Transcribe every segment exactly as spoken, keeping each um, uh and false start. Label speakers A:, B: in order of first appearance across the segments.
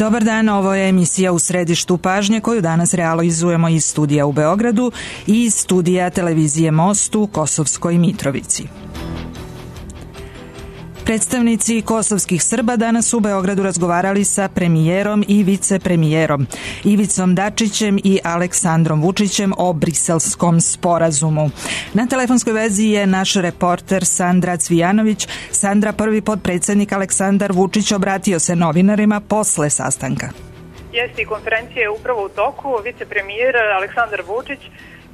A: Dobar dan, ovo je emisija U središtu pažnje koju danas realizujemo iz studija u Beogradu i iz studija televizije Most u Kosovskoj Mitrovici. Predstavnici kosovskih Srba danas u Beogradu razgovarali sa premijerom i vicepremijerom Ivicom Dačićem i Aleksandrom Vučićem o Briselskom sporazumu. Na telefonskoj vezi je naš reporter Sandra Cvijanović. Sandra, prvi potpredsjednik Aleksandar Vučić obratio se novinarima posle sastanka.
B: Jeste, konferencija je upravo u toku. Vicepremijer Aleksandar Vučić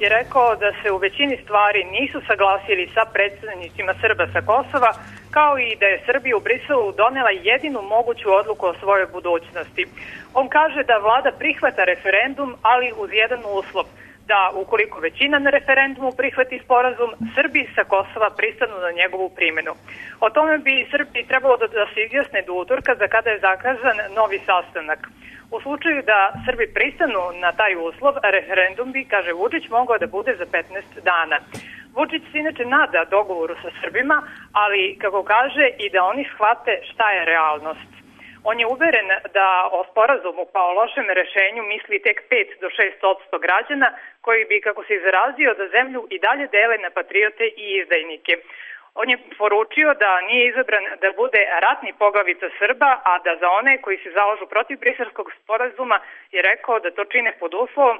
B: je rekao da se u većini stvari nisu saglasili sa predstavnicima Srba sa Kosova, kao i da je Srbija u Briselu donela jedinu moguću odluku o svojoj budućnosti. On kaže da vlada prihvata referendum, ali uz jedan uslov, da ukoliko većina na referendumu prihvati sporazum, Srbi sa Kosova pristanu na njegovu primjenu. O tome bi Srbiji trebalo da, da se izjasne do utorka, za kada je zakazan novi sastanak. U slučaju da Srbi pristanu na taj uslov, referendum bi, kaže Vučić, mogao da bude za petnaest dana. Vučić se inače nada dogovoru sa Srbima, ali, kako kaže, i da oni shvate šta je realnost. On je uveren da o sporazumu kao lošem rešenju misli tek pet do šest posto građana, koji bi, kako se izrazio, da zemlju i dalje dele na patriote i izdajnike. On je poručio da nije izabran da bude ratni poglavica Srba, a da za one koji se zalažu protiv Briselskog sporazuma je rekao da to čine pod uslovom,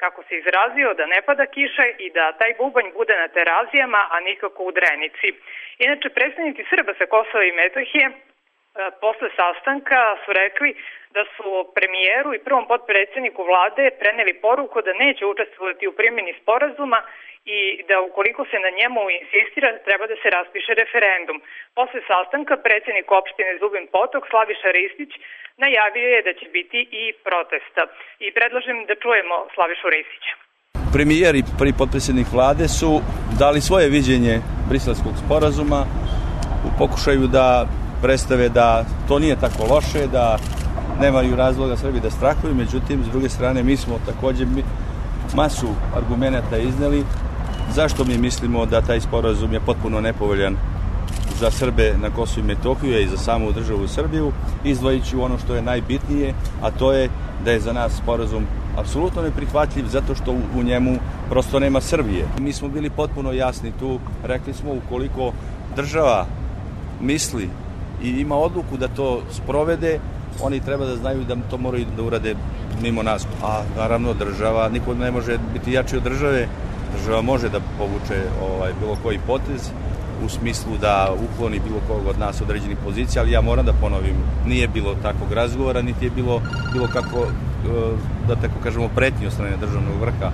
B: kako se izrazio, da ne pada kiša i da taj bubanj bude na Terazijama, a nikako u Drenici. Inače, predstavnici Srba sa Kosova i Metohije posle sastanka su rekli da su premijeru i prvom potpredsjedniku vlade preneli poruku da neće učestvovati u primjeni sporazuma i da ukoliko se na njemu insistira, treba da se raspiše referendum. Posle sastanka predsjednik opštine Zubin Potok, Slaviša Ristić, najavio je da će biti i protesta. I predlažem da čujemo Slavišu Ristića.
C: Premijer i prvi potpredsjednik vlade su dali svoje viđenje Briselskog sporazuma u pokušaju da predstave da to nije tako loše, da nemaju razloga Srbi da strahuju, međutim, s druge strane, mi smo također masu argumenata izneli zašto mi mislimo da taj sporazum je potpuno nepovoljan za Srbe na Kosovu i Metohiju i za samu državu Srbiju, izdvojići ono što je najbitnije, a to je da je za nas sporazum apsolutno neprihvatljiv zato što u njemu prosto nema Srbije. Mi smo bili potpuno jasni tu, rekli smo ukoliko država misli i ima odluku da to sprovede, oni treba da znaju da to moraju da urade mimo nas. A naravno država, niko ne može biti jači od države, država može da povuče ovaj, bilo koji potez u smislu da ukloni bilo kog od nas određenih pozicija, ali ja moram da ponovim, nije bilo takvog razgovora, niti je bilo, bilo kako, da tako kažemo, pretnje od strane državnog vrha.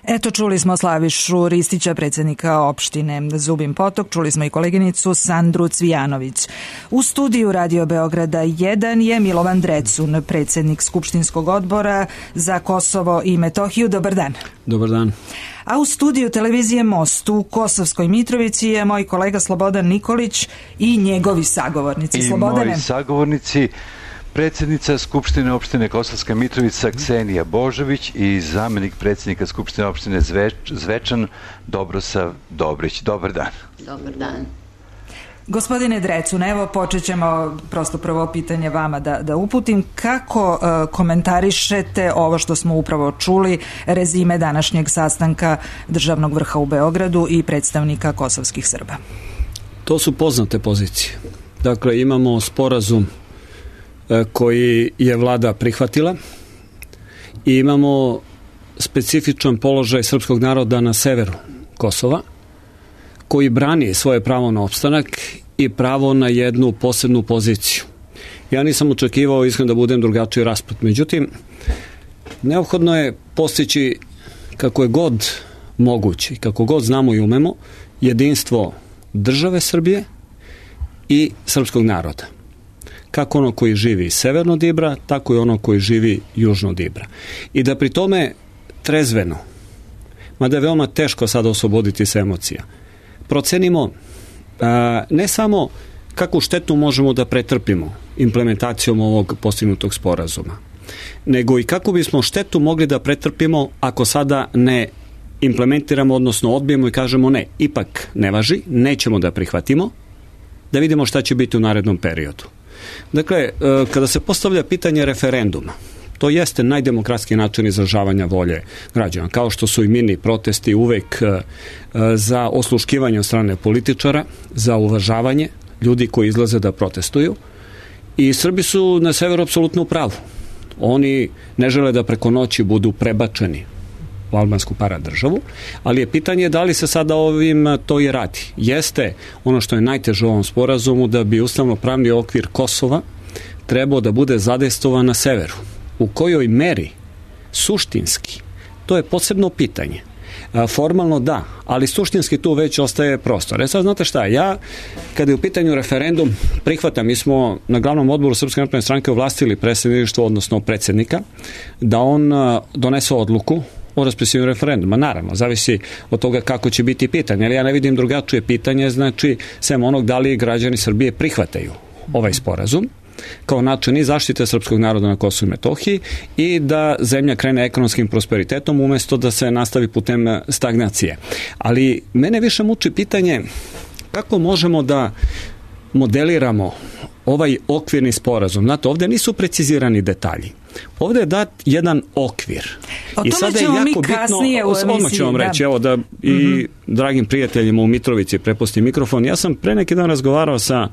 A: Eto, čuli smo Slavišu Ristića, predsjednika opštine Zubin Potok, čuli smo i koleginicu Sandru Cvijanović. U studiju Radio Beograda jedan je Milovan Drecun, predsjednik Skupštinskog odbora za Kosovo i Metohiju. Dobar dan.
D: Dobar dan.
A: A u studiju televizije Most u Kosovskoj Mitrovici je moj kolega Slobodan Nikolić i njegovi sagovornici.
E: I
A: Slobodane.
E: moji sagovornici, predsjednica Skupštine opštine Kosovska Mitrovica Ksenija Božović i zamjenik predsjednika Skupštine opštine Zveč, Zvečan Dobrosav Dobrić. Dobar dan.
F: Dobar dan.
A: Gospodine Drecun, evo počet ćemo prosto prvo pitanje vama da, da uputim. Kako uh, komentarišete ovo što smo upravo čuli, rezime današnjeg sastanka državnog vrha u Beogradu i predstavnika kosovskih Srba?
D: To su poznate pozicije. Dakle, imamo sporazum koji je vlada prihvatila i imamo specifičan položaj srpskog naroda na severu Kosova koji brani svoje pravo na opstanak i pravo na jednu posebnu poziciju. Ja nisam očekivao iskreno da budem drugačiji raspad. Međutim, neophodno je postići kako je god moguće, kako god znamo i umemo, jedinstvo države Srbije i srpskog naroda. Kako ono koji živi severno od Ibra, tako i ono koji živi južno od Ibra. I da pri tome trezveno, mada je veoma teško sada osloboditi se emocija, procenimo a, ne samo kakvu štetu možemo da pretrpimo implementacijom ovog postignutog sporazuma, nego i kako bismo štetu mogli da pretrpimo ako sada ne implementiramo, odnosno odbijemo i kažemo ne, ipak ne važi, nećemo da prihvatimo, da vidimo šta će biti u narednom periodu. Dakle, kada se postavlja pitanje referenduma, to jeste najdemokratski način izražavanja volje građana, kao što su i mirni protesti uvek za osluškivanje od strane političara, za uvažavanje ljudi koji izlaze da protestuju. I Srbi su na severu apsolutno u pravu. Oni ne žele da preko noći budu prebačeni u albansku paradržavu, ali je pitanje da li se sada ovim to i radi. Jeste ono što je najteže u ovom sporazumu, da bi ustavno-pravni okvir Kosova trebao da bude zadejstvovan na severu. U kojoj meri, suštinski, to je posebno pitanje. Formalno da, ali suštinski tu već ostaje prostor. E sad, znate šta, ja, kada je u pitanju referendum, prihvatam, mi smo na glavnom odboru Srpske napredne stranke ovlastili predsjedništvo, odnosno predsjednika, da on donese odluku o raspisivanju referenduma. Naravno, zavisi od toga kako će biti pitanje, ali ja ne vidim drugačije pitanje, znači, sem onog da li građani Srbije prihvataju ovaj sporazum kao način i zaštite srpskog naroda na Kosovu i Metohiji i da zemlja krene ekonomskim prosperitetom umesto da se nastavi putem stagnacije. Ali mene više muči pitanje kako možemo da modeliramo ovaj okvirni sporazum. Znate, ovde nisu precizirani detalji. Ovde je dat jedan okvir.
A: O tome I sada ćemo je jako mi kasnije bitno, u emisiji. Odmah ću vam reći, da. Evo da i mm-hmm. dragim prijateljima u Mitrovici prepustim mikrofon. Ja sam pre neki dan razgovarao sa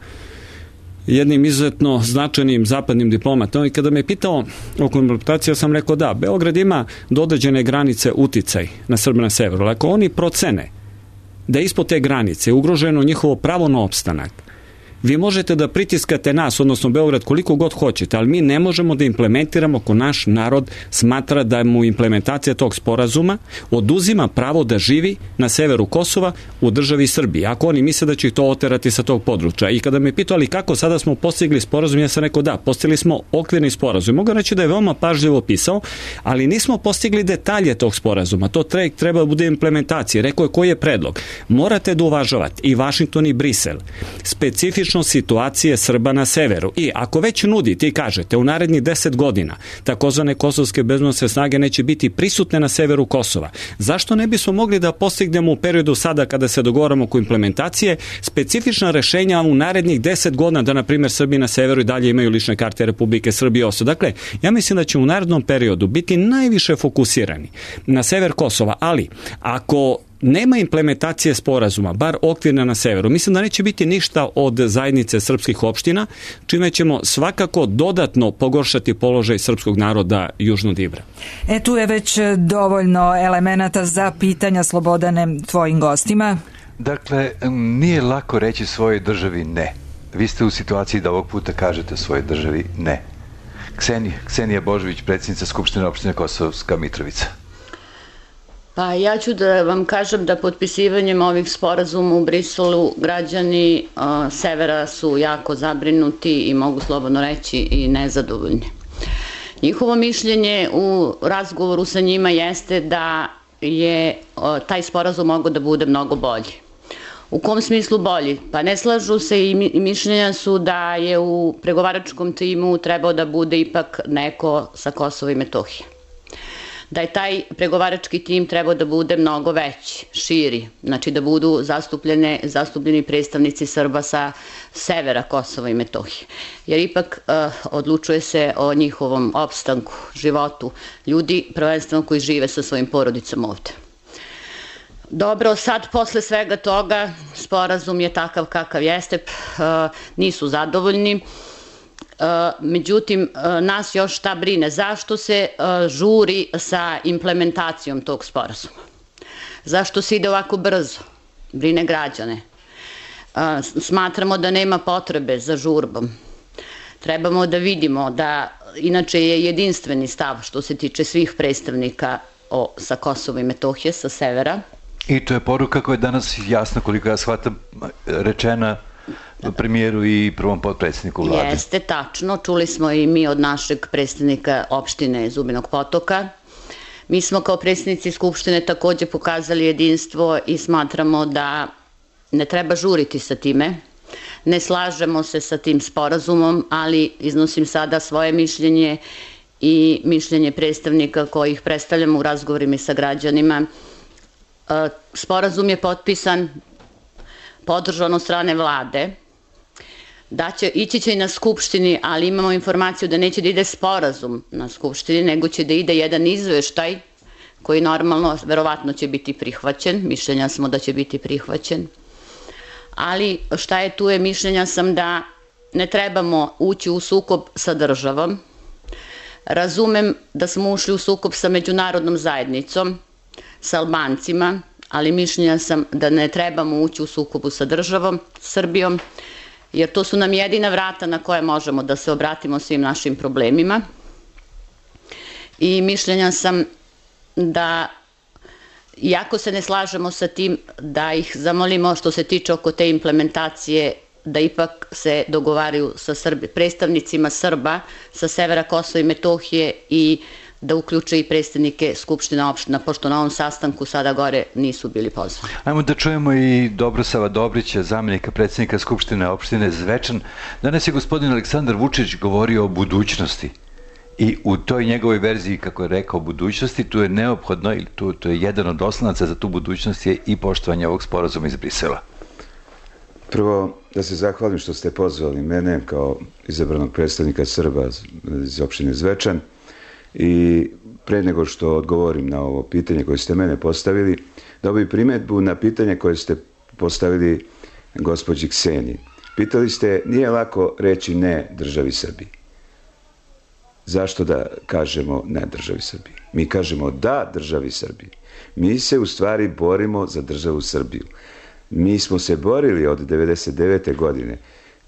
A: jednim izuzetno značajnim zapadnim diplomatom i kada me je pitao o konfrontaciji, ja sam rekao da, Beograd ima do određene granice uticaj na Srbe na severu. Ako oni procene da je ispod te granice ugroženo njihovo pravo na opstanak, vi možete da pritiskate nas, odnosno Beograd, koliko god hoćete, ali mi ne možemo da implementiramo ako naš narod smatra da mu implementacija tog sporazuma oduzima pravo da živi na severu Kosova u državi Srbiji. Ako oni misle da će ih to oterati sa tog područja. I kada me pitali kako sada smo postigli sporazum, ja sam rekao da, postigli smo okvirni sporazum. Mogu reći da je veoma pažljivo opisao, ali nismo postigli detalje tog sporazuma. To treba da bude implementacija. Rekao je koji je predlog. Morate da uvažavate i Vašington i Brisel specifično situacije Srba na severu. I ako već nudite i kažete u narednih deset godina takozvane kosovske bezbednosne snage neće biti prisutne na severu Kosova, zašto ne bismo mogli da postignemo u periodu sada kada se dogovaramo oko implementacije specifična rešenja u narednih deset godina da, na primjer, Srbi na severu i dalje imaju lične karte Republike Srbije oso. Dakle, ja mislim da će u narednom periodu biti najviše fokusirani na sever Kosova, ali ako nema implementacije sporazuma, bar okvirna na severu, mislim da neće biti ništa od zajednice srpskih opština, čime ćemo svakako dodatno pogoršati položaj srpskog naroda južno od Ibra. E, tu je već dovoljno elemenata za pitanja, Slobodane, tvojim gostima.
E: Dakle, nije lako reći svojoj državi ne. Vi ste u situaciji da ovog puta kažete svojoj državi ne. Ksenija, Ksenija Božović, predsjednica Skupštine opštine Kosovska Mitrovica.
F: Pa ja ću da vam kažem da potpisivanjem ovih sporazuma u Briselu građani uh, severa su jako zabrinuti i mogu slobodno reći i nezadovoljni. Njihovo mišljenje u razgovoru sa njima jeste da je uh, taj sporazum mogao da bude mnogo bolji. U kom smislu bolji? Pa ne slažu se i mišljenja su da je u pregovaračkom timu trebao da bude ipak neko sa Kosova i Metohije. Da je taj pregovarački tim trebao da bude mnogo veći, širi, znači da budu zastupljene, zastupljeni predstavnici Srba sa severa Kosova i Metohije. Jer ipak uh, odlučuje se o njihovom opstanku, životu, ljudi prvenstveno koji žive sa svojim porodicama ovde. Dobro, sad posle svega toga sporazum je takav kakav jeste, uh, nisu zadovoljni. Uh, međutim, uh, nas još šta brine? Zašto se uh, žuri sa implementacijom tog sporazuma? Zašto se ide ovako brzo? Brine građane. Uh, smatramo da nema potrebe za žurbom. Trebamo da vidimo da, inače je jedinstveni stav što se tiče svih predstavnika o, sa Kosova i Metohije, sa severa.
E: I to je poruka koja je danas jasno, koliko ja shvatam, rečena premijeru i prvom potpredsjedniku vlade.
F: Jeste, tačno. Čuli smo i mi od našeg predstavnika opštine Zubinog Potoka. Mi smo kao predstavnici Skupštine takođe pokazali jedinstvo i smatramo da ne treba žuriti sa time. Ne slažemo se sa tim sporazumom, ali iznosim sada svoje mišljenje i mišljenje predstavnika kojih predstavljamo u razgovorima sa građanima. Sporazum je potpisan, podržan od strane vlade. da će, ići će i na skupštini, ali imamo informaciju da neće da ide sporazum na skupštini, nego će da ide jedan izveštaj koji normalno, verovatno će biti prihvaćen, mišljenja smo da će biti prihvaćen, ali šta je tu je, mišljenja sam da ne trebamo ući u sukob sa državom. Razumem da smo ušli u sukob sa međunarodnom zajednicom, sa Albancima, ali mišljenja sam da ne trebamo ući u sukobu sa državom, Srbijom, jer to su nam jedina vrata na koje možemo da se obratimo svim našim problemima. I mišljenja sam da, iako se ne slažemo sa tim, da ih zamolimo što se tiče oko te implementacije, da ipak se dogovaraju sa Srbi, predstavnicima Srba sa severa Kosova i Metohije i da uključe i predstavnike Skupština opština, pošto na ovom sastanku sada gore nisu bili pozvani.
E: Ajmo da čujemo i Dobrosava Dobrića, zamenika predsednika Skupštine opštine Zvečan. Danas je gospodin Aleksandar Vučić govorio o budućnosti. I u toj njegovoj verziji, kako je rekao, budućnosti, tu je neophodno, ili tu, tu je jedan od oslonaca za tu budućnost je i poštovanje ovog sporazuma iz Brisela.
G: Prvo, da se zahvalim što ste pozvali mene kao izabranog predstavnika Srba iz opštine Zvečan i pre nego što odgovorim na ovo pitanje koje ste mene postavili, da bi primedbu na pitanje koje ste postavili gospođi Kseniji. Pitali ste, nije lako reći ne državi Srbiji. Zašto da kažemo ne državi Srbiji? Mi kažemo da državi Srbiji. Mi se u stvari borimo za državu Srbiju. Mi smo se borili od devedeset devete godine,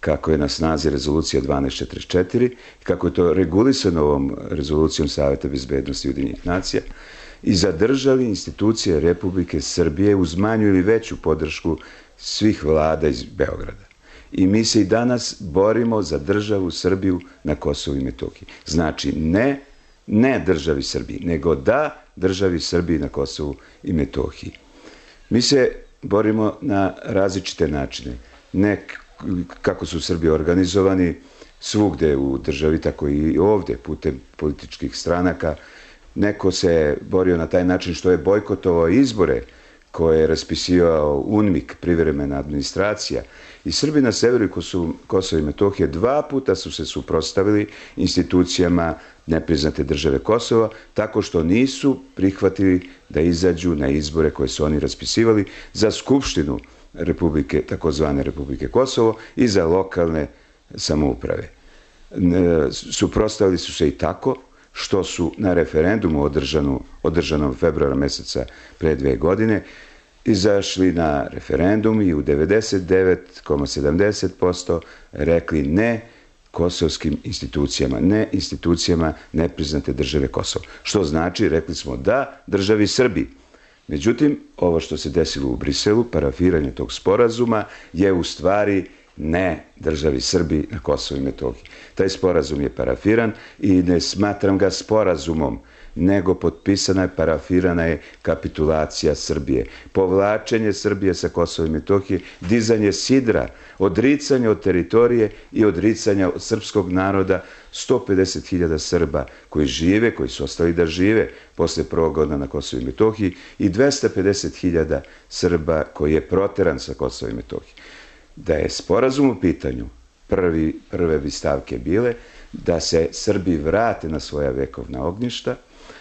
G: kako je na snazi rezolucija dvanaest četrdeset četiri, kako je to regulisano ovom rezolucijom Saveta bezbednosti Ujedinjenih nacija, i zadržali institucije Republike Srbije uz manju ili veću podršku svih vlada iz Beograda. I mi se i danas borimo za državu Srbiju na Kosovu i Metohiji. Znači, ne, ne državi Srbiji, nego da državi Srbiji na Kosovu i Metohiji. Mi se borimo na različite načine. Ne kako su Srbi organizovani svugde u državi, tako i ovde, putem političkih stranaka. Neko se borio na taj način što je bojkotovao izbore koje je raspisivao UNMIK, privremena administracija. I Srbi na severu Kosova i Metohije dva puta su se suprotstavili institucijama nepriznate države Kosova, tako što nisu prihvatili da izađu na izbore koje su oni raspisivali za Skupštinu Republike, takozvane Republike Kosovo, i za lokalne samouprave. Suprotstavili su se i tako što su na referendumu održanu, održanom februara meseca pre dve godine izašli na referendum i u devedeset devet zarez sedamdeset posto rekli ne kosovskim institucijama, ne institucijama nepriznate države Kosovo. Što znači, rekli smo da državi Srbiji. Međutim, ovo što se desilo u Briselu, parafiranje tog sporazuma, je u stvari ne državi Srbiji na Kosovo i Metohiji. Taj sporazum je parafiran i ne smatram ga sporazumom, nego potpisana je, parafirana je kapitulacija Srbije, povlačenje Srbije sa Kosova i Metohije, dizanje sidra, odricanje od teritorije i odricanje od srpskog naroda, sto pedeset hiljada Srba koji žive, koji su ostali da žive posle prvog godina na Kosovo i Metohiji, i dvesta pedeset hiljada Srba koji je proteran sa Kosova i Metohije. Da je sporazum u pitanju, prvi, prve bi stavke bile da se Srbi vrate na svoja vekovna ognjišta,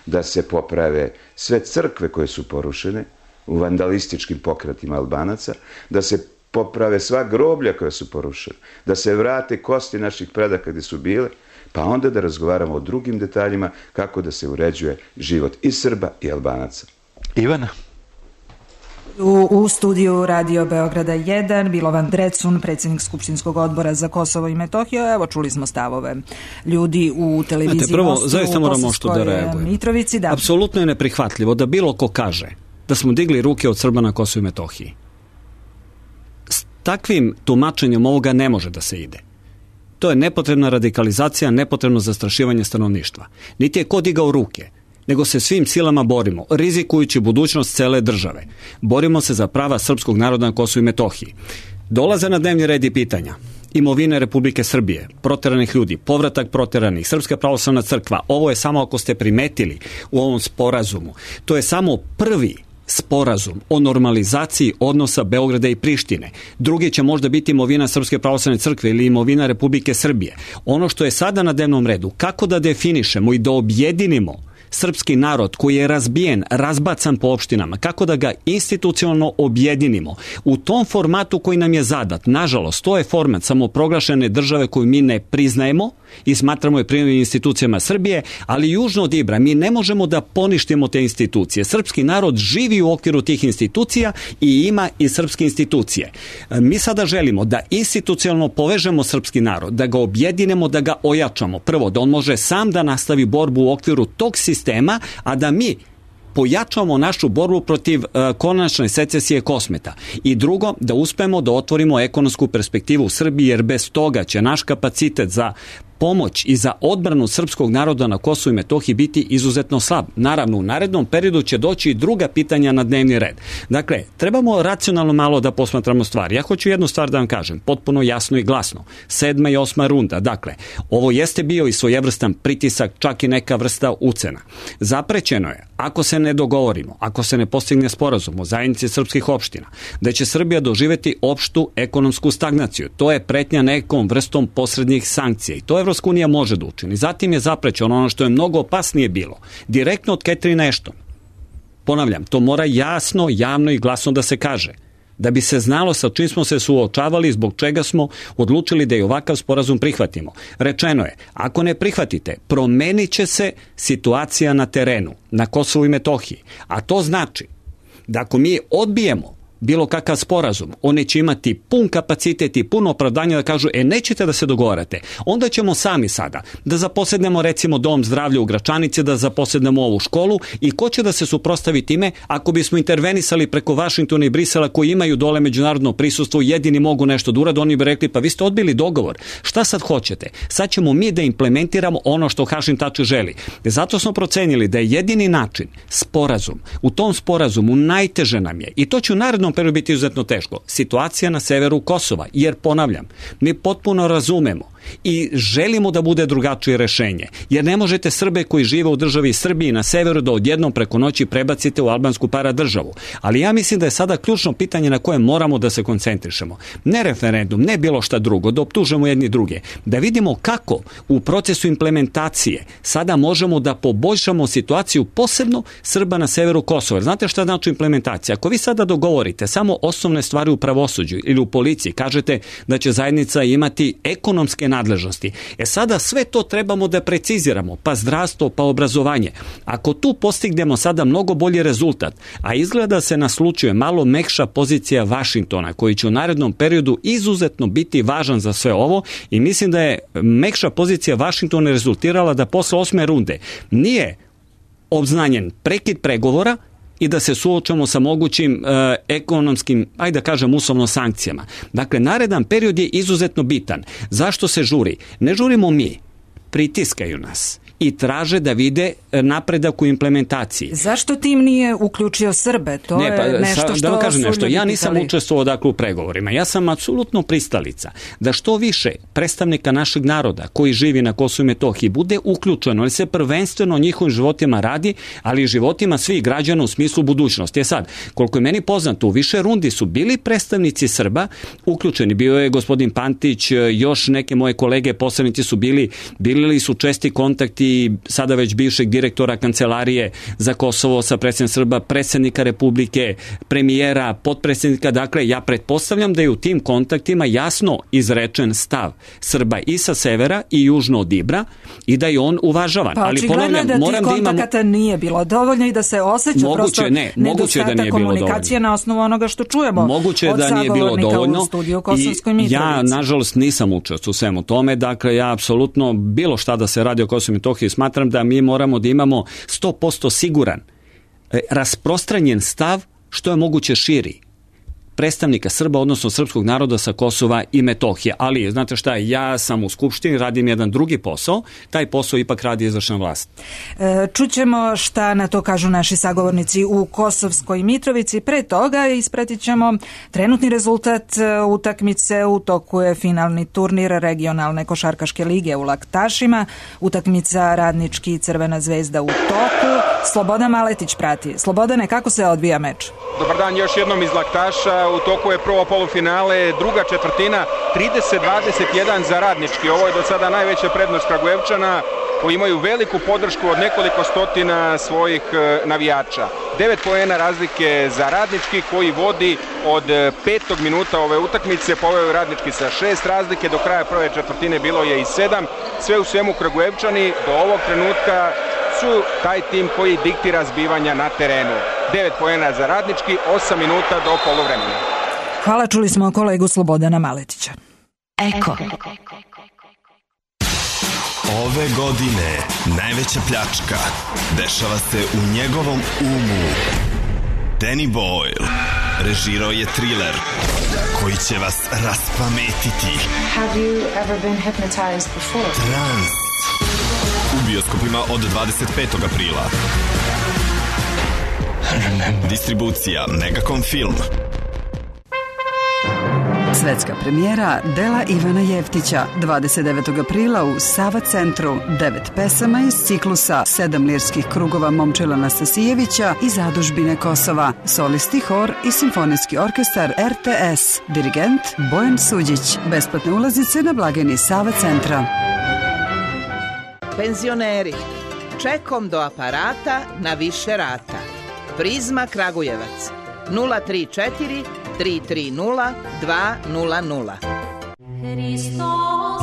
G: da se poprave sve crkve koje su porušene u vandalističkim pokretima Albanaca, da se poprave sva groblja koja su porušena, da se vrate kosti naših predaka gde su bile, pa onda da razgovaramo o drugim detaljima kako da se uređuje život i Srba i Albanaca.
E: Ivana?
A: U, u studiju Radio Beograda jedan, Milovan Drecun, predsjednik Skupštinskog odbora za Kosovo i Metohiju. Evo, čuli smo stavove ljudi u televiziji.
D: Znate, prvo,
A: Mostu,
D: zaista moramo što da reagujemo.
A: Mitrovici, da.
D: Apsolutno je neprihvatljivo da bilo ko kaže da smo digli ruke od Srba na Kosovo i Metohiji. S takvim tumačenjem ovoga ne može da se ide. To je nepotrebna radikalizacija, nepotrebno zastrašivanje stanovništva. Niti je ko digao ruke, nego se svim silama borimo, rizikujući budućnost cele države. Borimo se za prava srpskog naroda na Kosovu i Metohiji. Dolaze na dnevni red i pitanja imovine Republike Srbije, proteranih ljudi, povratak proteranih, Srpska pravoslavna crkva. Ovo je samo, ako ste primetili u ovom sporazumu, to je samo prvi sporazum o normalizaciji odnosa Beograda i Prištine. Drugi će možda biti imovina Srpske pravoslavne crkve ili imovina Republike Srbije. Ono što je sada na dnevnom redu, kako da definišemo i da objedinimo srpski narod koji je razbijen, razbacan po opštinama, kako da ga institucionalno objedinimo u tom formatu koji nam je zadat. Nažalost, to je format samoproglašene države koju mi ne priznajemo i smatramo je primjenim institucijama Srbije, ali južno od Ibra mi ne možemo da poništimo te institucije. Srpski narod živi u okviru tih institucija i ima i srpske institucije. Mi sada želimo da institucionalno povežemo srpski narod, da ga objedinemo, da ga ojačamo. Prvo, da on može sam da nastavi borbu u okviru tog sistema, a da mi pojačamo našu borbu protiv uh, konačne secesije Kosmeta. I drugo, da uspemo da otvorimo ekonomsku perspektivu u Srbiji, jer bez toga će naš kapacitet za pomoć i za odbranu srpskog naroda na Kosovu i Metohiji biti izuzetno slab. Naravno, u narednom periodu će doći i druga pitanja na dnevni red. Dakle, trebamo racionalno malo da posmatramo stvari. Ja hoću jednu stvar da vam kažem, potpuno jasno i glasno. Sedma i osma runda. Dakle, ovo jeste bio i svojevrstan pritisak, čak i neka vrsta ucena. Zaprećeno je, ako se ne dogovorimo, ako se ne postigne sporazum o zajednici srpskih opština, da će Srbija doživjeti opštu ekonomsku stagnaciju. To je pretnja nekom vrstom posrednjih sankcija i to je Evropska unija može da učini. Zatim je zaprećeno ono što je mnogo opasnije bilo. Direktno od Catherine Ashton. Ponavljam, to mora jasno, javno i glasno da se kaže. Da bi se znalo sa čim smo se suočavali, zbog čega smo odlučili da i ovakav sporazum prihvatimo. Rečeno je, ako ne prihvatite, promenit će se situacija na terenu, na Kosovu i Metohiji. A to znači da ako mi odbijemo bilo kakav sporazum, oni će imati pun kapacitet i puno opravdanja da kažu, e nećete da se dogovarate, onda ćemo sami sada da zaposednemo recimo dom zdravlja u Gračanici, da zaposednemo ovu školu i ko će da se suprotstavi time ako bismo intervenisali preko Vašingtona i Brisela koji imaju dole međunarodno prisustvo, jedini mogu nešto da urade, oni bi rekli, pa vi ste odbili dogovor, šta sad hoćete? Sad ćemo mi da implementiramo ono što Hašim Tači želi. Zato smo procenili da je jedini način sporazum. U tom sporazumu najteže nam je, i to će u narednom periodu biti izuzetno teško, situacija na severu Kosova, jer ponavljam, mi potpuno razumemo i želimo da bude drugačije rešenje, jer ne možete Srbe koji žive u državi Srbiji na severu da odjednom preko noći prebacite u albansku paradržavu. Ali ja mislim da je sada ključno pitanje na koje moramo da se koncentrišemo. Ne referendum, ne bilo šta drugo, da optužemo jedni druge. Da vidimo kako u procesu implementacije sada možemo da poboljšamo situaciju posebno Srba na severu Kosova. Znate šta znači implementacija? Ako vi sada dogovorite samo osnovne stvari u pravosuđu ili u policiji, kažete da će zajednica imati ekonomske nadležnosti. E sada sve to trebamo da preciziramo, pa zdravstvo, pa obrazovanje. Ako tu postignemo sada mnogo bolji rezultat, a izgleda se naslučuje malo mekša pozicija Vašingtona, koji će u narednom periodu izuzetno biti važan za sve ovo, i mislim da je mekša pozicija Vašingtona rezultirala da posle osme runde nije obznanjen prekid pregovora i da se suočamo sa mogućim e, ekonomskim, ajde da kažem, uslovno sankcijama. Dakle, naredan period je izuzetno bitan. Zašto se žuri? Ne žurimo mi, pritiskaju nas i traže da vide napredak u implementaciji.
A: Zašto tim nije uključio Srbe? To ne, pa, je nešto što
D: da vam kažem nešto. Ja nisam
A: pitali.
D: učestvovao dakle u pregovorima. Ja sam apsolutno pristalica da što više predstavnika našeg naroda koji živi na Kosovu i Metohiji bude uključeno, jer se prvenstveno o njihovim životima radi, ali i životima svih građana u smislu budućnosti. Je sad, koliko je meni poznato, u više rundi su bili predstavnici Srba uključeni. Bio je gospodin Pantić, još neke moje kolege poslanici su bili, bili su česti kontakti i sada već bivšeg direktora Kancelarije za Kosovo sa predsjednikom Srba, predsjednika Republike, premijera, potpredsjednika. Dakle, ja pretpostavljam da je u tim kontaktima jasno izrečen stav Srba i sa severa i južno od Ibra i da je on uvažavan.
A: Pa,
D: ali ponavljam,
A: da
D: moram da imamo...
A: kontakata nije bilo dovoljno i da se osjeća
D: moguće,
A: prosto
D: ne, nedostatak da
A: komunikacije na osnovu onoga što čujemo
D: moguće
A: od
D: da nije bilo dovoljno
A: u studiju Kosovskoj Mitrovici.
D: Ja, nažalost, nisam učestvovao u svemu tome. Dakle, ja apsolutno bilo šta da se radi o Kosovu i Metohiji smatram da mi moramo da imamo sto posto siguran, rasprostranjen stav što je moguće širi. predstavnika Srba, odnosno srpskog naroda sa Kosova i Metohije. Ali, znate šta, ja sam u Skupštini, radim jedan drugi posao, taj posao ipak radi izvršna vlast.
A: E, čućemo šta na to kažu naši sagovornici u Kosovskoj Mitrovici. Pre toga ispratit ćemo trenutni rezultat utakmice. U toku je finalni turnir regionalne košarkaške lige u Laktašima. Utakmica Radnički i Crvena zvezda u toku. Slobodan Maletić prati. Slobodane, kako se odvija meč?
H: Dobar dan još jednom iz Laktaša. U toku je prvo polufinale, druga četvrtina, trideset dvadeset jedan za Radnički. Ovo je do sada najveća prednost Kragujevčana, koji imaju veliku podršku od nekoliko stotina svojih navijača. Devet poena razlike za Radnički, koji vodi od petog minuta ove utakmice. Poveo je Radnički sa šest razlike, do kraja prve četvrtine bilo je i sedam. Sve u svemu Kragujevčani do ovog trenutka su taj tim koji diktira zbivanja na terenu. devet poena za Radnički, osam minuta do poluvremena.
A: Hvala, čuli smo kolegu Slobodana Maletića.
I: Eko.
J: Ove godine najveća pljačka dešava se u njegovom umu. Danny Boyle režirao je thriller koji će vas raspametiti.
K: Have you ever been hypnotized before?
J: Trans. U bioskopima od dvadeset petog aprila. Distribucija Megacom Film.
L: Svetska premijera dela Ivana Jeftića dvadeset devetog aprila u Sava centru. Devet pesama iz ciklusa Sedam lirskih krugova Momčila Nastasijevića i Zadužbine Kosova. Solisti, hor i simfonijski orkestar R T S. Dirigent Bojan Suđić. Besplatne ulazice na blagajni Sava centra.
M: Penzioneri, čekom do aparata na više rata. Prizma Kragujevac nula tri četiri tri tri nula dva nula nula.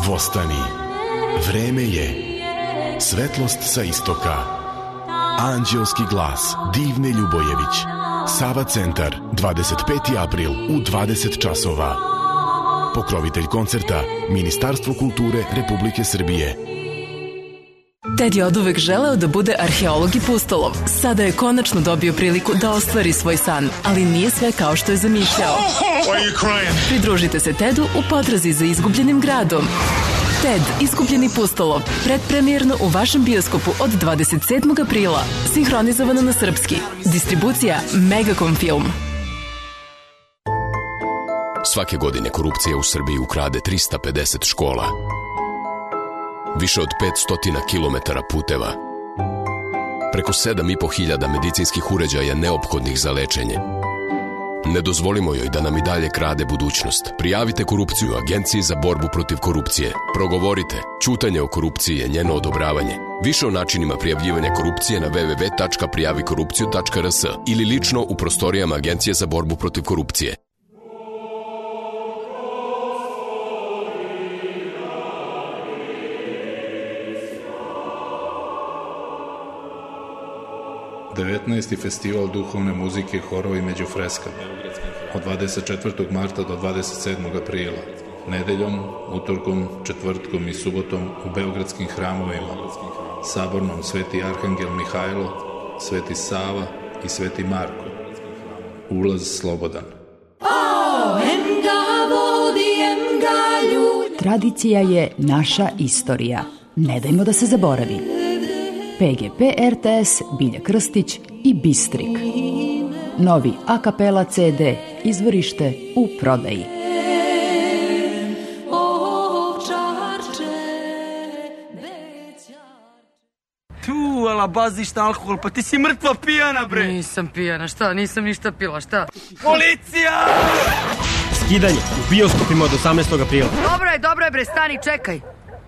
J: Vostani, vreme je. Svetlost sa istoka. Anđelski glas Divne Ljubojević. Sava centar, dvadeset peti april u dvadeset časova. Pokrovitelj koncerta Ministarstvo kulture Republike Srbije.
N: Ted je oduvek želeo da bude arheolog i pustolov. Sada je konačno dobio priliku da ostvari svoj san, ali nije sve kao što je zamišljao. Pridružite se Tedu u potrazi za izgubljenim gradom. Ted, izgubljeni pustolov, predpremijerno u vašem bioskopu od dvadeset sedmog aprila. Sinhronizovano na srpski. Distribucija Megacom Film.
O: Svake godine korupcija u Srbiji ukrade trista pedeset škola. Više od petsto kilometara puteva. Preko sedam i po hiljada medicinskih uređaja neophodnih za lečenje. Ne dozvolimo joj da nam i dalje krade budućnost. Prijavite korupciju Agenciji za borbu protiv korupcije. Progovorite. Ćutanje o korupciji je njeno odobravanje. Više o načinima prijavljivanja korupcije na w w w tačka prijavi korupciju tačka r s ili lično u prostorijama Agencije za borbu protiv korupcije.
P: devetnaesti festival duhovne muzike, horovi među freskama od dvadeset četvrtog marta do dvadeset sedmog aprila, nedeljom, utorkom, četvrtkom i subotom u beogradskim hramovima, Sabornom Sveti Arhangel Mihajlo, Sveti Sava i Sveti Marko. Ulaz slobodan.
Q: Tradicija je naša istorija. Ne dajmo da se zaboravi. P G P R T S, Bilja Krstić i Bistrik. Novi a kapela C D, izvorište u prodaji.
R: Tu, ala baziš na alkohol, pa ti si mrtva pijana, bre.
S: Nisam pijana, šta? Nisam ništa pila, šta?
R: Policija!
T: Skidanje u bioskopima od osamnaestog aprila.
S: Dobro je, dobro je, bre, stani, čekaj.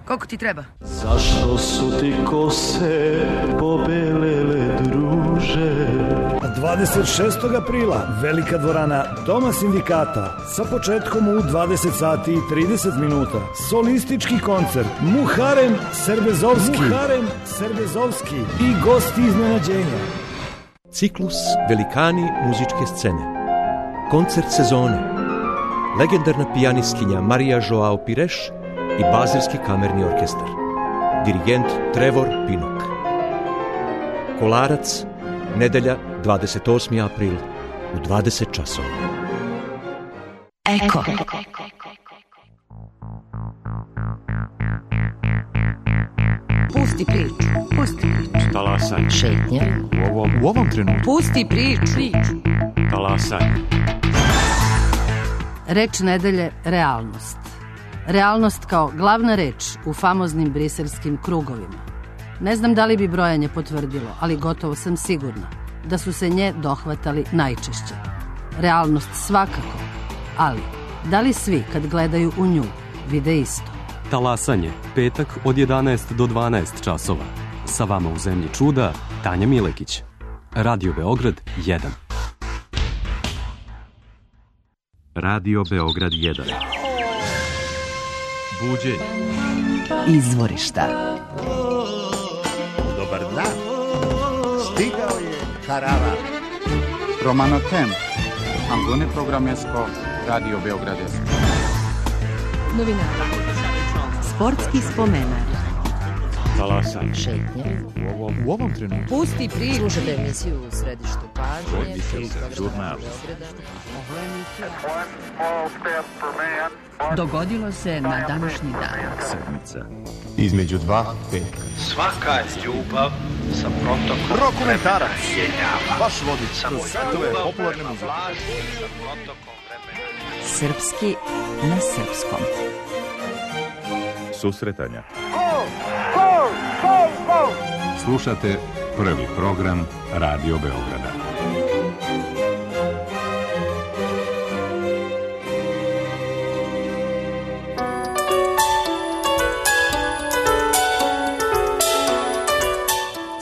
S: Koliko ti treba?
U: Zašto su ti kose pobelele, druže?
V: dvadeset šestog aprila velika dvorana Doma sindikata sa početkom u dvadeset sati i trideset minuta. Solistički koncert Muharem Serbezovski. Muharem Serbezovski i gosti iznenađenja.
W: Ciklus Velikani muzičke scene. Koncert sezone. Legendarna pijanistkinja Marija Joao Pires i Bazilski kamerni orkestar. Dirigent Trevor Pinnock. Kolarac, nedelja dvadeset osmi april u dvadeset časova.
Q: Eko.
B: Pusti priču. Pusti priču.
C: Talasaj.
B: Šetnja.
C: U ovom, u ovom trenutku.
B: Pusti priču. priču.
C: Talasaj.
B: Reč nedelje realnost. Realnost kao glavna reč u famoznim briselskim krugovima. Ne znam da li bi brojanje potvrdilo, ali gotovo sam sigurna da su se nje dohvatali najčešće. Realnost svakako, ali da li svi kad gledaju u nju vide isto?
C: Talasanje, petak od jedanaest do dvanaest časova. Sa vama u Zemlji čuda, Tanja Milekić. Radio Beograd jedan. Radio Beograd jedan. Buđenje.
Q: Izvorišta.
I: Dobar dan. Stigao je Karava. Romano Temp. Angone Programesko. Radio Beograd jedan.
Q: Novinara. Sportski spomenar.
C: Talasanje.
B: Šetnja.
C: U ovom, u ovom trenutku.
B: Pusti priču. Slušajte emisiju u središtu pažnje.
I: Žurnal.
Q: Dogodilo se na današnji dan.
I: Sedmica. Između dva petka.
X: Svaka ljubav sa protokom
I: Rokomentarac.
X: jenjava.
I: Baš vodič. Kroz svetove popularne muzike.
X: Sa protokom vremena.
Q: Srpski na srpskom.
I: Susretanja.
X: Go, go, go, go!
I: Slušate prvi program Radio Beograda.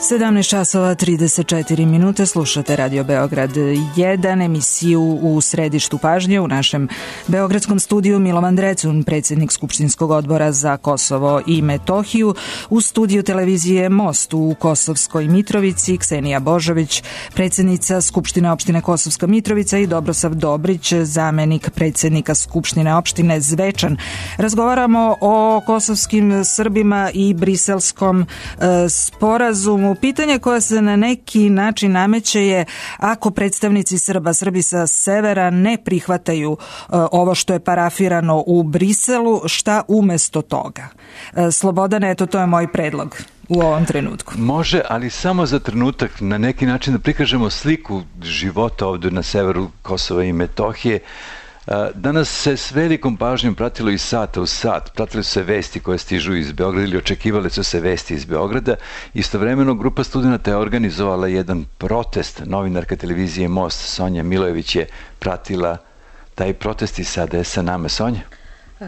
A: sedamnaest časova trideset četiri minute, slušate Radio Beograd jedan, emisiju u središtu pažnje. U našem beogradskom studiju Milovan Drecun, predsjednik Skupštinskog odbora za Kosovo i Metohiju. U studiju televizije Most u Kosovskoj Mitrovici Ksenija Božović, predsjednica Skupštine opštine Kosovska Mitrovica, i Dobrosav Dobrić, zamenik predsjednika Skupštine opštine Zvečan. Razgovaramo o kosovskim Srbima i briselskom e, sporazumu. Pitanje koje se na neki način nameće je, ako predstavnici Srba, Srbi sa severa, ne prihvataju uh, ovo što je parafirano u Briselu, šta umesto toga? Uh, Slobodane, eto, to je moj predlog u ovom trenutku.
E: Može, ali samo za trenutak, na neki način da prikažemo sliku života ovdje na severu Kosova i Metohije. Danas se s velikom pažnjom pratilo iz sata u sat, pratili su se vesti koje stižu iz Beograda ili očekivali su se vesti iz Beograda. Istovremeno grupa studenta je organizovala jedan protest. Novinarka televizije Most Sonja Milojević je pratila taj protest i sada je sa nama. Sonja?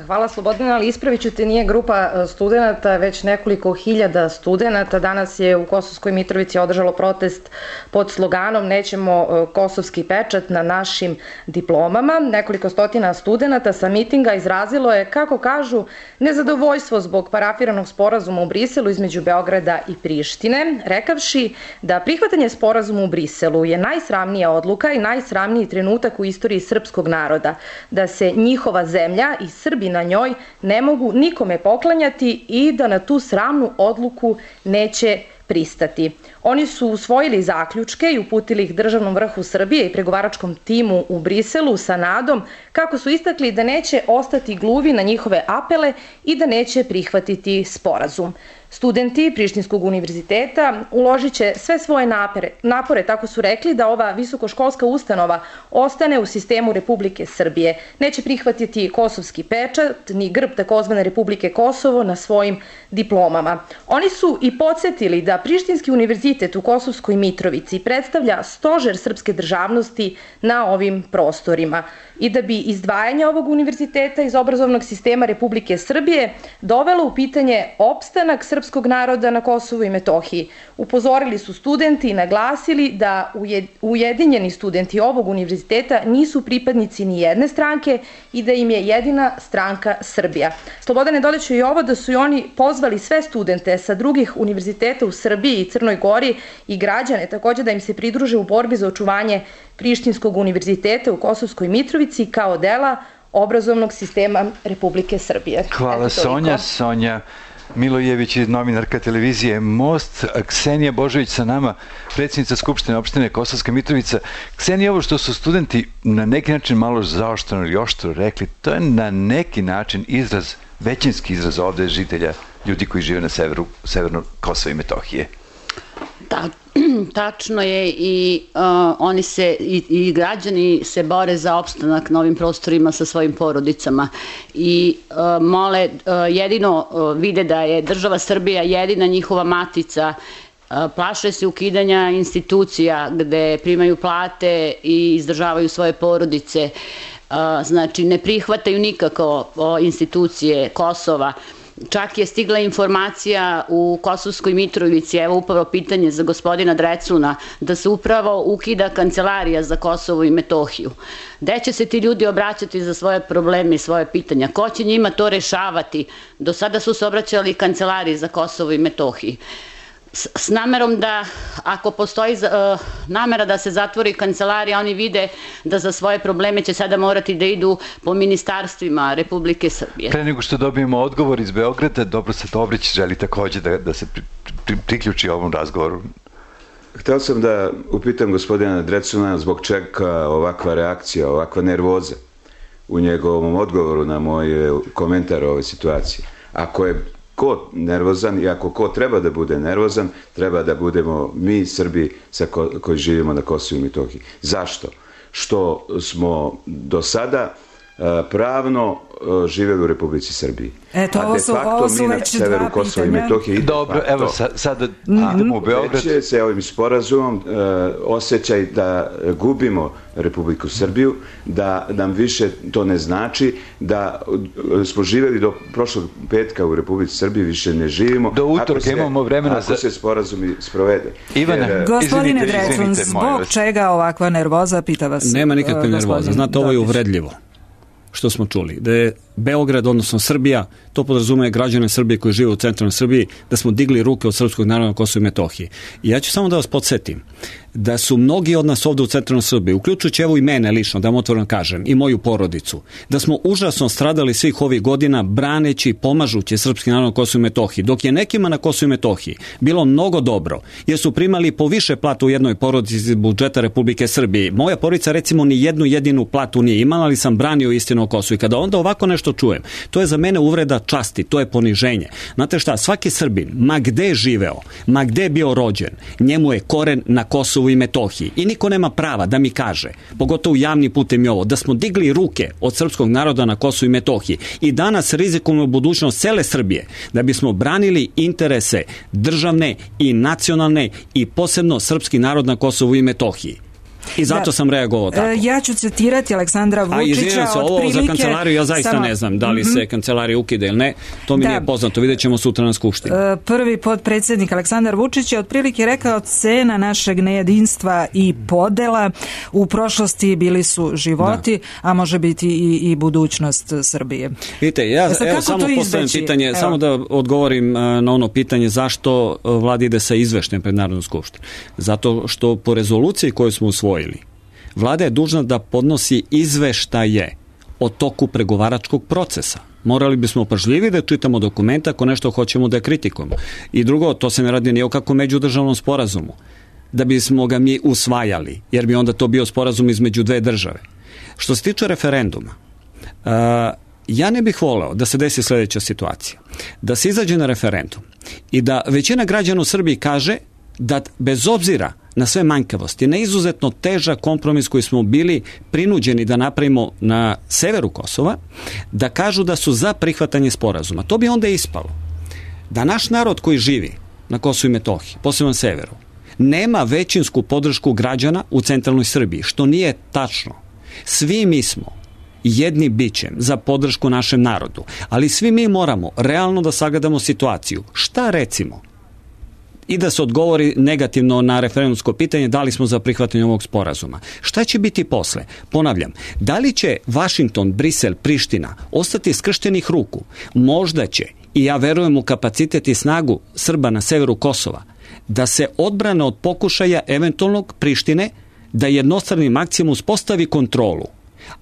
Y: Hvala Slobodana, ali ispravit ću te, nije grupa studenta, već nekoliko hiljada studenta. Danas je u Kosovskoj Mitrovici održalo protest pod sloganom "Nećemo kosovski pečat na našim diplomama". Nekoliko stotina studenta sa mitinga izrazilo je, kako kažu, nezadovoljstvo zbog parafiranog sporazuma u Briselu između Beograda i Prištine, rekavši da prihvatanje sporazuma u Briselu je najsramnija odluka i najsramniji trenutak u istoriji srpskog naroda, da se njihova zemlja i Srbi na njoj ne mogu nikome poklanjati i da na tu sramnu odluku neće pristati. Oni su usvojili zaključke i uputili ih državnom vrhu Srbije i pregovaračkom timu u Briselu sa nadom, kako su istakli, da neće ostati gluvi na njihove apele i da neće prihvatiti sporazum. Studenti Prištinskog univerziteta uložit će sve svoje napore, napore, tako su rekli, da ova visokoškolska ustanova ostane u sistemu Republike Srbije. Neće prihvatiti kosovski pečat ni grb takozvane Republike Kosovo na svojim diplomama. Oni su i podsjetili da Prištinski univerzitet u Kosovskoj Mitrovici predstavlja stožer srpske državnosti na ovim prostorima i da bi izdvajanje ovog univerziteta iz obrazovnog sistema Republike Srbije dovelo u pitanje opstanak srpskog naroda na Kosovu i Metohiji. Upozorili su studenti i naglasili da ujedinjeni studenti ovog univerziteta nisu pripadnici ni jedne stranke i da im je jedina stranka Srbija. Slobodane, dodaću i ovo, da su i oni pozvali sve studente sa drugih univerziteta u Srbiji i Crnoj Gori i građane također da im se pridruže u borbi za očuvanje Prištinskog univerziteta u Kosovskoj Mitrovici kao dela obrazovnog sistema Republike Srbije.
E: Hvala Sonja. Sonja Milojević je novinarka televizije Most, Ksenija Božović sa nama, predsjednica Skupštine opštine Kosovska Mitrovica. Ksenija, ovo što su studenti na neki način malo zaoštreno ili oštro rekli, to je na neki način izraz, većinski izraz ovde žitelja, ljudi koji žive na severu, severno Kosova i Metohije.
D: Da, tačno je i uh, oni se i, i građani se bore za opstanak na ovim prostorima sa svojim porodicama i uh, mole, uh, jedino uh, vide da je država Srbija jedina njihova matica. Uh, plaše se ukidanja institucija gde primaju plate i izdržavaju svoje porodice. Uh, znači ne prihvataju nikako uh, institucije Kosova. Čak je stigla informacija u Kosovskoj Mitrovici, evo upravo pitanje za gospodina Drecuna, da se upravo ukida kancelarija za Kosovo i Metohiju. Gde će se ti ljudi obraćati za svoje probleme i svoje pitanja? Ko će njima to rešavati? Do sada su se obraćali kancelariji za Kosovo i Metohiju. S, s namerom da, ako postoji uh, namera da se zatvori kancelarija, oni vide da za svoje probleme će sada morati da idu po ministarstvima Republike Srbije.
E: Pre nego što dobijemo odgovor iz Beograda, Dobrosav Dobrić želi takođe da, da se pri, pri, priključi ovom razgovoru.
F: Hteo sam da upitam gospodina Drecuna zbog čega ovakva reakcija, ovakva nervoza u njegovom odgovoru na moj komentar o ovoj situaciji. Ako je ko nervozan i ako ko treba da bude nervozan, treba da budemo mi Srbi sa ko, koji živimo na Kosovu i Metohiji. Zašto? Što smo do sada pravno živeli u Republici Srbiji.
A: Eto, ovo su, ovo su već dva pitanja.
E: Dobro, evo sa, sada idemo u Beograd.
F: Već se ovim sporazumom uh, osjećaj da gubimo Republiku Srbiju, da nam više to ne znači, da uh, smo živeli do prošlog petka u Republici Srbiji, više ne živimo.
E: Do utorka imamo vremena
F: ako za... se sporazum sprovede.
E: Ivana,
F: Jer,
A: gospodine Drecun, zbog čega ovakva nervoza, pita vas.
G: Nema nikakve uh, nervoza, znate, ovo je uvredljivo što smo čuli, da je Beograd, odnosno Srbija, to podrazumije građane Srbije koji žive u centralnoj Srbiji, da smo digli ruke od srpskog naroda na Kosovu i Metohiji. I ja ću samo da vas podsjetim da su mnogi od nas ovde u centralnoj Srbiji, uključujući evo i mene lično, da vam otvoreno kažem, i moju porodicu, da smo užasno stradali svih ovih godina braneći i pomažući srpski narod na Kosovu i Metohiji, dok je nekima na Kosovu i Metohiji bilo mnogo dobro, jer su primali po više platu u jednoj porodici iz budžeta Republike Srbije. Moja porodica recimo ni jednu jedinu platu nije imala, ali sam branio istinu o Kosovu. I kada onda ovako nešto čujem, to je za mene uvreda časti, to je poniženje. Znate šta, svaki Srbin, ma gde je živeo, ma gde je bio rođen, njemu je koren na Kosovu i Metohiji. I niko nema prava da mi kaže, pogotovo javni putem i ovo, da smo digli ruke od srpskog naroda na Kosovu i Metohiji i danas rizikujemo budućnost cele Srbije, da bismo branili interese državne i nacionalne i posebno srpski narod na Kosovu i Metohiji. I zato da, sam reagovao tako.
A: Ja ću citirati Aleksandra Vučića.
G: A izvinjam se, ovo
A: prilike,
G: za kancelariju ja zaista
A: samo,
G: ne znam da li mm-hmm. se kancelarija ukida ili ne. To mi da. nije poznato, vidjet ćemo sutra na Skupštini.
A: Prvi potpredsjednik Aleksandar Vučić je otprilike rekao cena našeg nejedinstva i podela. U prošlosti bili su životi, da. a može biti i, i budućnost Srbije.
G: Vidite, ja e sad, evo, samo postavljam pitanje, evo. samo da odgovorim na ono pitanje zašto vlada ide sa izveštajem pred Narodnu skupštinu. Zato što po rezoluciji koju smo usvojili, vlada je dužna da podnosi izveštaje o toku pregovaračkog procesa. Morali bismo pažljivi da čitamo dokumenta ako nešto hoćemo da kritikujemo. I drugo, to se ne radi ni o kakvom međudržavnom sporazumu, da bismo ga mi usvajali, jer bi onda to bio sporazum između dve države. Što se tiče referenduma, uh, ja ne bih voleo da se desi sljedeća situacija. Da se izađe na referendum i da većina građana u Srbiji kaže da bez obzira na sve manjkavosti, na izuzetno težak kompromis koji smo bili prinuđeni da napravimo na severu Kosova, da kažu da su za prihvatanje sporazuma. To bi onda ispalo da naš narod koji živi na Kosovu i Metohiji, posebno na severu, nema većinsku podršku građana u centralnoj Srbiji, što nije tačno. Svi mi smo jedni bićem za podršku našem narodu, ali svi mi moramo realno da sagledamo situaciju. Šta recimo? I da se odgovori negativno na referendumsko pitanje da li smo za prihvatanje ovog sporazuma. Šta će biti posle? Ponavljam, da li će Vašington, Brisel, Priština ostati skrštenih ruku? Možda će, i ja verujem u kapacitet i snagu Srba na severu Kosova, da se odbrane od pokušaja eventualnog Prištine da jednostranim akcijama uspostavi kontrolu.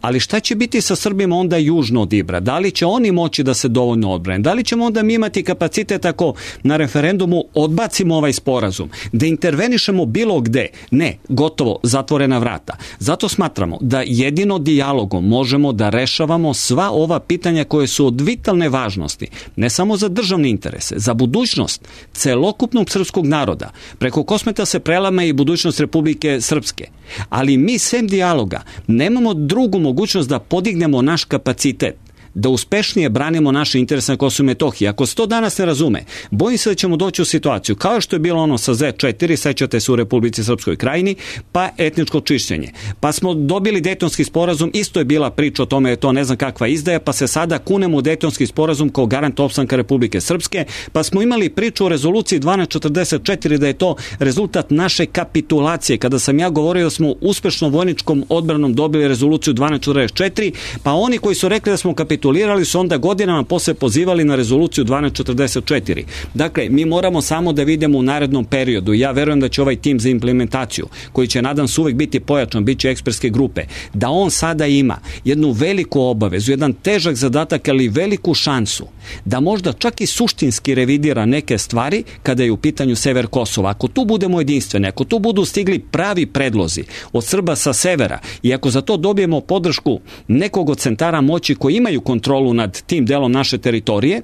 G: Ali šta će biti sa Srbima onda južno od Ibra? Da li će oni moći da se dovoljno odbrane? Da li ćemo onda mi imati kapacitet ako na referendumu odbacimo ovaj sporazum, da intervenišemo bilo gde? Ne, gotovo, zatvorena vrata. Zato smatramo da jedino dijalogom možemo da rešavamo sva ova pitanja koje su od vitalne važnosti, ne samo za državne interese, za budućnost celokupnog srpskog naroda. Preko Kosmeta se prelama i budućnost Republike Srpske. Ali mi sem dijaloga nemamo drugu mogućnost da podignemo naš kapacitet, da uspešnije branimo naše interese na Kosovu i Metohiji. Ako se to danas ne razume, bojim se da ćemo doći u situaciju kao što je bilo ono sa zet četiri, sećate se u Republici Srpskoj Krajini, pa etničko čišćenje. Pa smo dobili Dejtonski sporazum, isto je bila priča o tome, je to ne znam kakva izdaja, pa se sada kunemo u Dejtonski sporazum kao garant opstanka Republike Srpske, pa smo imali priču o rezoluciji dvanaest četrdeset četiri da je to rezultat naše kapitulacije. Kada sam ja govorio da smo uspešno vojničkom odbranom dobili rezoluciju dvanaest četrdeset četiri, pa oni koji su rekli da smo kapitulirali Kapitulirali su onda godinama posle pozivali na rezoluciju dvanaest četrdeset četiri. Dakle, mi moramo samo da vidimo u narednom periodu. Ja verujem da će ovaj tim za implementaciju, koji će nadam se uvek biti pojačan, bit će ekspertske grupe, da on sada ima jednu veliku obavezu, jedan težak zadatak, ali veliku šansu, da možda čak i suštinski revidira neke stvari kada je u pitanju sever Kosova. Ako tu budemo jedinstveni, ako tu budu stigli pravi predlozi od Srba sa severa i ako za to dobijemo podršku nekog od centara moći koji imaju kontrolu nad tim delom naše teritorije,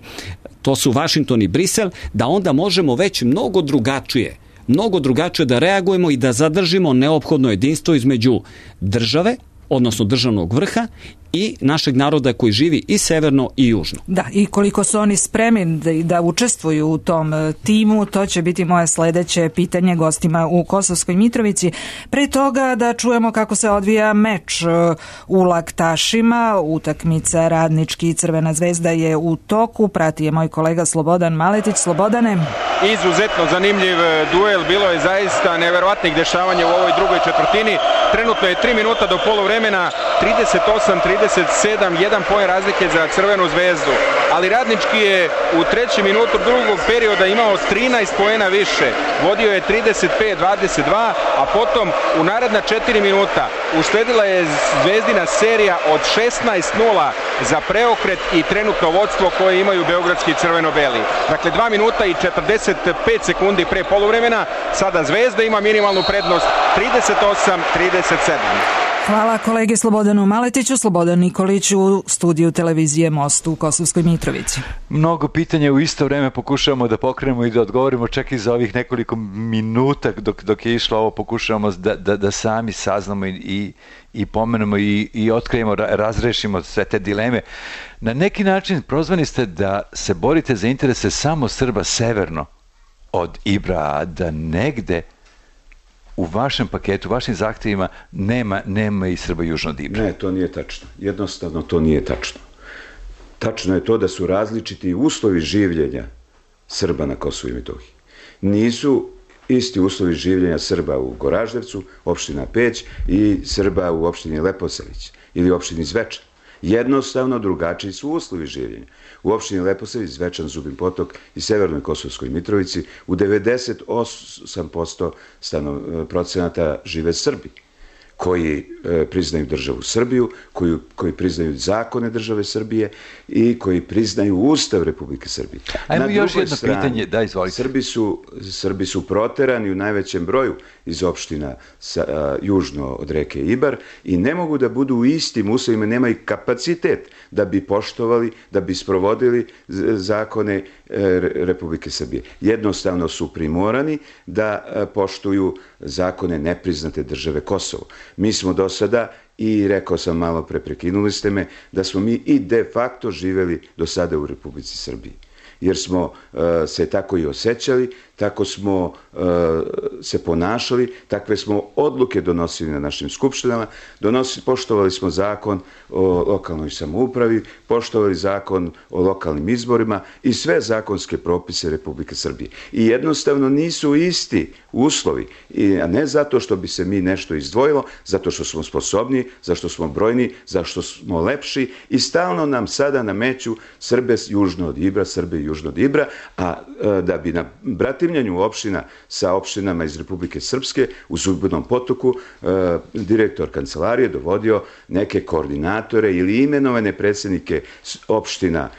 G: to su Vašington i Brisel, da onda možemo već mnogo drugačije, mnogo drugačije da reagujemo i da zadržimo neophodno jedinstvo između države, odnosno državnog vrha i našeg naroda koji živi i severno i južno.
A: Da, i koliko su oni spremni da, da učestvuju u tom timu, to će biti moje sledeće pitanje gostima u Kosovskoj Mitrovici. Pre toga da čujemo kako se odvija meč u Laktašima, utakmica Radnički i Crvena zvezda je u toku, prati je moj kolega Slobodan Maletić. Slobodane.
H: Izuzetno zanimljiv duel, bilo je zaista neverovatnih dešavanja u ovoj drugoj četvrtini. Trenutno je tri minuta do poluvremena, trideset osam trideset sedam, jedan poen razlike za Crvenu zvezdu. Ali Radnički je u trećem minutu drugog perioda imao trinaest poena više. Vodio je trideset pet dvadeset dva, a potom u naredna četiri minuta usledila je zvezdina serija od šesnaest nula za preokret i trenutno vodstvo koje imaju beogradski crveno-beli. Dakle, dva minuta i četrdeset pet sekundi pre poluvremena, sada Zvezda ima minimalnu prednost trideset osam trideset sedam.
A: Hvala kolege Slobodanu Maletiću, Slobodan Nikolić u studiju televizije Most u Kosovskoj Mitrovici.
E: Mnogo pitanja u isto vreme pokušavamo da pokrenemo i da odgovorimo, čak i za ovih nekoliko minuta dok, dok je išlo ovo, pokušavamo da, da, da sami saznamo i, i, i pomenemo i, i otkrijemo, razrešimo sve te dileme. Na neki način prozvani ste da se borite za interese samo Srba severno od Ibra, a da negde u vašem paketu, vašim zahtjevima nema, nema i Srba južno od Ibra.
F: Ne, to nije tačno. Jednostavno to nije tačno. Tačno je to da su različiti uslovi življenja Srba na Kosovu i Metohiji. Nisu isti uslovi življenja Srba u Goraždevcu, opština Peć, i Srba u opštini Leposavić ili opštini Zvečan. Jednostavno drugačiji su uslovi življenja. U opštini Leposavić, Zvečan, Zubin Potok i Severnoj Kosovskoj Mitrovici u devedeset osam posto procenata žive Srbi koji e, priznaju državu Srbiju, koji, koji priznaju zakone države Srbije i koji priznaju Ustav Republike Srbije.
E: Ajmo još jedno strani, pitanje, da, izvolite.
F: Srbi su, Srbi su proterani u najvećem broju iz opština sa, a, južno od reke Ibar i ne mogu da budu u istim uslovima, nemaju kapacitet da bi poštovali, da bi sprovodili zakone e, Republike Srbije. Jednostavno su primorani da a, poštuju zakone nepriznate države Kosovo. Mi smo do sada, i rekao sam malo pre, prekinuli ste me, da smo mi i de facto živeli do sada u Republici Srbiji. Jer smo uh, se tako i osjećali, tako smo uh, se ponašali, takve smo odluke donosili na našim skupštinama, donosi, poštovali smo zakon o lokalnoj samoupravi, poštovali zakon o lokalnim izborima i sve zakonske propise Republike Srbije. I jednostavno nisu isti uslovi, i, a ne zato što bi se mi nešto izdvojilo, zato što smo sposobni, zašto smo brojni, zašto smo lepši i stalno nam sada nameću Srbe južno od Ibra, Srbe južno Južnog Ibra, a da bi na bratimljanju opština sa opštinama iz Republike Srpske u Zubinom Potoku direktor kancelarije dovodio neke koordinatore ili imenovane predsjednike opština,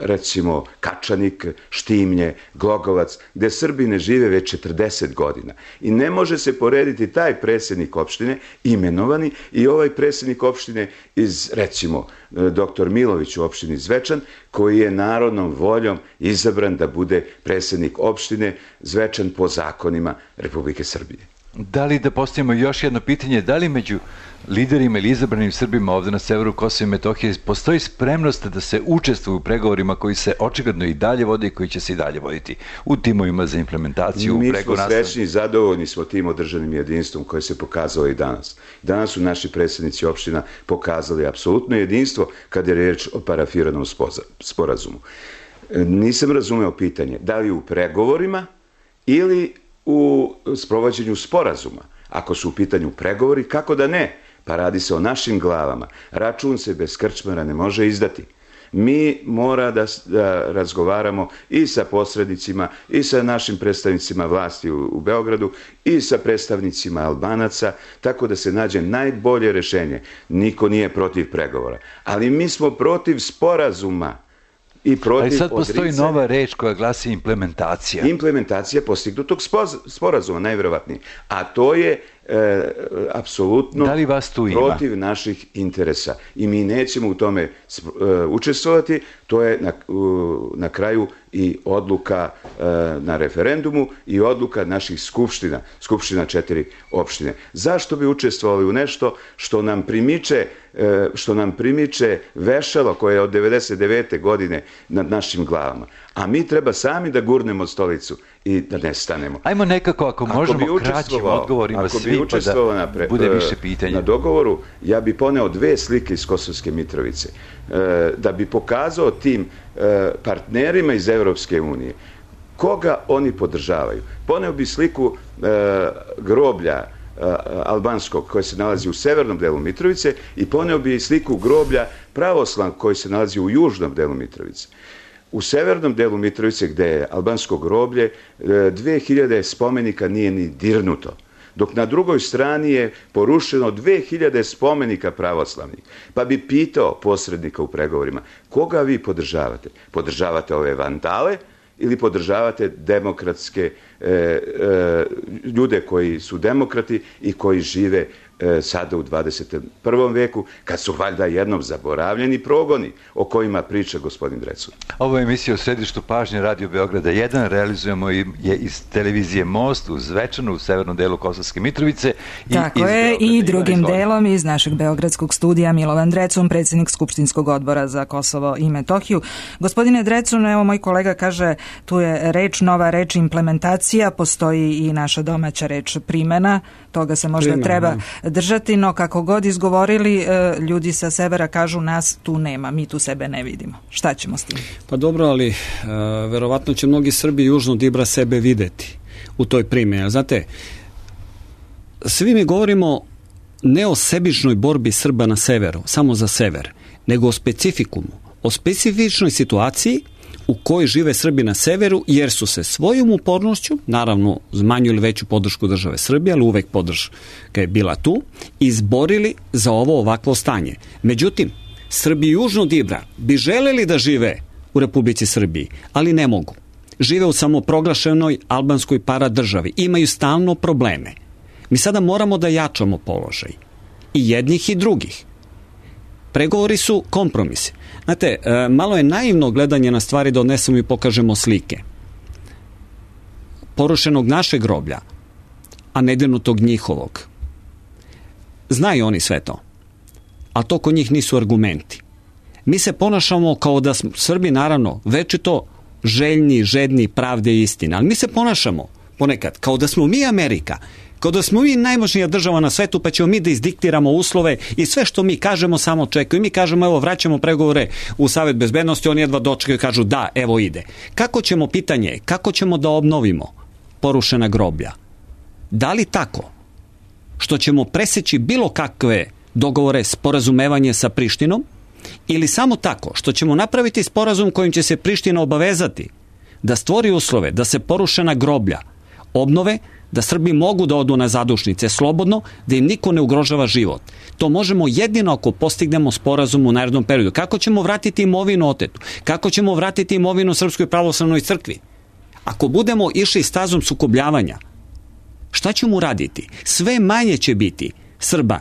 F: recimo Kačanik, Štimlje, Glogovac, gde Srbi ne žive već četrdeset godina. I ne može se porediti taj predsjednik opštine, imenovani, i ovaj predsjednik opštine iz, recimo, doktor Milović u opštini Zvečan, koji je narodnom voljom izabran da bude predsjednik opštine Zvečan po zakonima Republike Srbije.
E: Da li da postavimo još jedno pitanje, da li među liderima ili izabranim Srbima ovde na severu Kosova i Metohije postoji spremnost da se učestvuju u pregovorima koji se očigledno i dalje vode i koji će se i dalje voditi u timovima za implementaciju?
F: Mi smo srećni i zadovoljni smo tim održanim jedinstvom koje se pokazalo i danas. Danas su naši predsjednici opština pokazali apsolutno jedinstvo kada je riječ o parafiranom sporazumu. Nisam razumeo pitanje, da li u pregovorima ili u sprovođenju sporazuma. Ako su u pitanju pregovori, kako da ne? Pa radi se o našim glavama. Račun se bez krčmara ne može izdati. Mi mora da, da razgovaramo i sa posrednicima, i sa našim predstavnicima vlasti u, u Beogradu, i sa predstavnicima Albanaca, tako da se nađe najbolje rešenje. Niko nije protiv pregovora. Ali mi smo protiv sporazuma.
E: Ali sad postoji nova reč koja glasi implementacija.
F: Implementacija postignutog sporazuma, najvjerovatnije. A to je e, apsolutno protiv naših interesa. I mi nećemo u tome e, učestvovati. To je na, u, na kraju i odluka e, na referendumu i odluka naših skupština, skupština četiri opštine. Zašto bi učestvovali u nešto što nam primiče što nam primiče vešalo koje je od devedeset devete godine nad našim glavama. A mi treba sami da gurnemo stolicu i da nestanemo.
E: Ajmo nekako, ako možemo, kraćim odgovorima svi, pa da bude više pitanja.
F: Na dogovoru, ja bi poneo dve slike iz Kosovske Mitrovice. Da bi pokazao tim partnerima iz Evropske unije koga oni podržavaju. Poneo bi sliku groblja albanskog koji se nalazi u severnom delu Mitrovice i poneo bi sliku groblja pravoslavnog koji se nalazi u južnom delu Mitrovice. U severnom delu Mitrovice, gde je albansko groblje, dve hiljade spomenika nije ni dirnuto, dok na drugoj strani je porušeno dve hiljade spomenika pravoslavnih. Pa bi pitao posrednika u pregovorima, koga vi podržavate? Podržavate ove vandale ili podržavate demokratske e, e, ljude koji su demokrati i koji žive e, sada u dvadeset prvom veku, kad su valjda jednom zaboravljeni progoni o kojima priča gospodin Drecun.
E: Ovo je emisija u središtu pažnje Radio Beograda jedan, realizujemo je iz televizije Most u Zvečanu, u severnom delu Kosovske Mitrovice. I
A: Tako je, i drugim delom iz našeg beogradskog studija Milovan Drecun, predsjednik Skupštinskog odbora za Kosovo i Metohiju. Gospodine Drecun, evo moj kolega kaže, tu je reč, nova reč implementacija, postoji i naša domaća reč primjena, toga se možda Primena. treba držati, no kako god izgovorili, ljudi sa severa kažu nas tu nema, mi tu sebe ne vidimo. Šta ćemo s tim?
G: Pa dobro, ali uh, verovatno će mnogi Srbi južno od Ibra sebe videti u toj primjeni. Znate, svi mi govorimo ne o sebičnoj borbi Srba na severu, samo za sever, nego o specifikumu, o specifičnoj situaciji u kojoj žive Srbi na severu, jer su se svojom upornošću, naravno uz manju ili veću podršku države Srbije, ali uvek podrška je bila tu, izborili za ovo ovakvo stanje. Međutim, Srbi južno od Ibra bi želeli da žive u Republici Srbiji, ali ne mogu. Žive u samoproglašenoj albanskoj paradržavi. Imaju stalno probleme. Mi sada moramo da jačamo položaj. I jednih i drugih. Pregovori su kompromisi. Znate, malo je naivno gledanje na stvari da odnesemo i pokažemo slike porušenog našeg groblja, a nedirnutog njihovog. Znaju oni sve to. A to kod njih nisu argumenti. Mi se ponašamo kao da smo Srbi, naravno, večito željni, žedni pravde i istine, ali mi se ponašamo ponekad kao da smo mi Amerika, kao da smo mi najmoćnija država na svetu, pa ćemo mi da izdiktiramo uslove i sve što mi kažemo samo čekaju. Mi kažemo, evo, vraćamo pregovore u Savet bezbednosti, oni jedva dočekaju i kažu da, evo ide. Kako ćemo, pitanje, kako ćemo da obnovimo porušena groblja? Da li tako što ćemo preseći bilo kakve dogovore, sporazumevanje sa Prištinom ili samo tako što ćemo napraviti sporazum kojim će se Priština obavezati da stvori uslove da se porušena groblja obnove, da Srbi mogu da odu na zadušnice slobodno, da im niko ne ugrožava život. To možemo jedino ako postignemo sporazum u narednom periodu. Kako ćemo vratiti imovinu otetu? Kako ćemo vratiti imovinu Srpskoj pravoslavnoj crkvi? Ako budemo išli stazom sukobljavanja, šta ćemo raditi? Sve manje će biti Srba,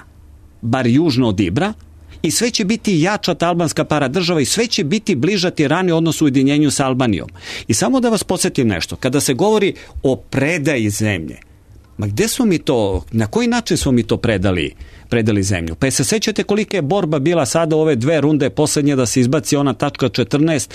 G: bar južno od Ibra, i sve će biti jača ta albanska paradržava i sve će biti bliža tirani odnos u ujedinjenju sa Albanijom. I samo da vas podsjetim nešto, kada se govori o predaji zemlje, ma gde smo mi to, na koji način smo mi to predali, predali zemlju? Pa se sećate kolika je borba bila sada ove dve runde posljednje da se izbaci ona tačka četrnaest,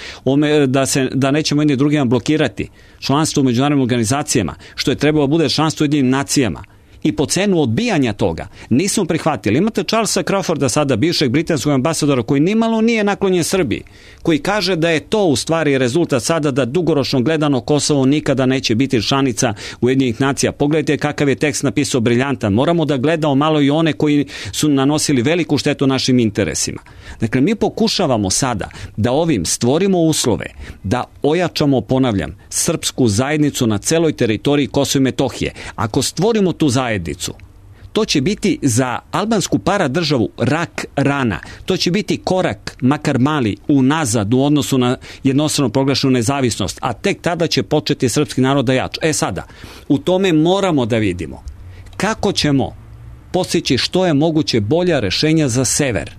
G: da, se, da nećemo jedni drugima blokirati članstvo u međunarodnim organizacijama, što je trebalo bude članstvo u Ujedinjenim nacijama. I po cenu odbijanja toga nismo prihvatili. Imate Charlesa Crawforda, sada bivšeg britanskog ambasadora, koji nimalo nije naklonjen Srbiji, koji kaže da je to u stvari rezultat sada da dugoročno gledano Kosovo nikada neće biti članica Ujedinjenih nacija. Pogledajte kakav je tekst napisao briljantan. Moramo da gledamo malo i one koji su nanosili veliku štetu našim interesima. Dakle, mi pokušavamo sada da ovim stvorimo uslove da ojačamo, ponavljam, srpsku zajednicu na celoj teritoriji Kosova i Metohije. Ako stvorimo tu zajednicu, to će biti za albansku paradržavu rak rana. To će biti korak, makar mali, unazad u odnosu na jednostrano proglašenu nezavisnost, a tek tada će početi srpski narod da jača. E sada, u tome moramo da vidimo kako ćemo postići što je moguće bolja rešenja za sever.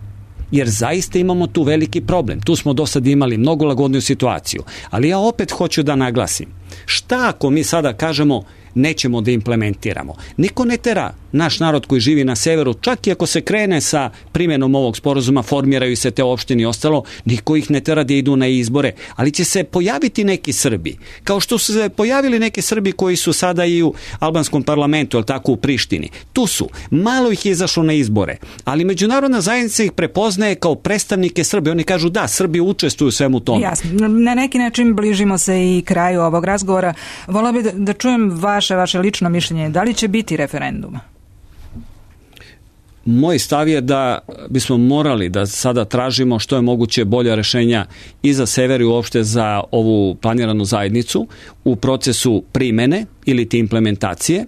G: Jer zaista imamo tu veliki problem. Tu smo do sad imali mnogo lagodniju situaciju. Ali ja opet hoću da naglasim, šta ako mi sada kažemo nećemo da implementiramo? Niko ne tera naš narod koji živi na severu, čak i ako se krene sa primjenom ovog sporazuma, formiraju se te opštine i ostalo, niko ih ne tera da idu na izbore, ali će se pojaviti neki Srbi, kao što su se pojavili neki Srbi koji su sada i u albanskom parlamentu, ali tako u Prištini. Tu su, malo ih je izašlo na izbore, ali međunarodna zajednica ih prepoznaje kao predstavnike Srbije. Oni kažu da, Srbi učestvuju u svemu tome.
A: Jasno, na neki način bližimo se i kraju ovog razgovora. Volila bih da, da čujem vaše, vaše lično mišljenje. Da li će biti referenduma?
G: Moj stav je da bismo morali da sada tražimo što je moguće bolja rešenja i za sever i uopšte za ovu planiranu zajednicu u procesu primene ili ti implementacije.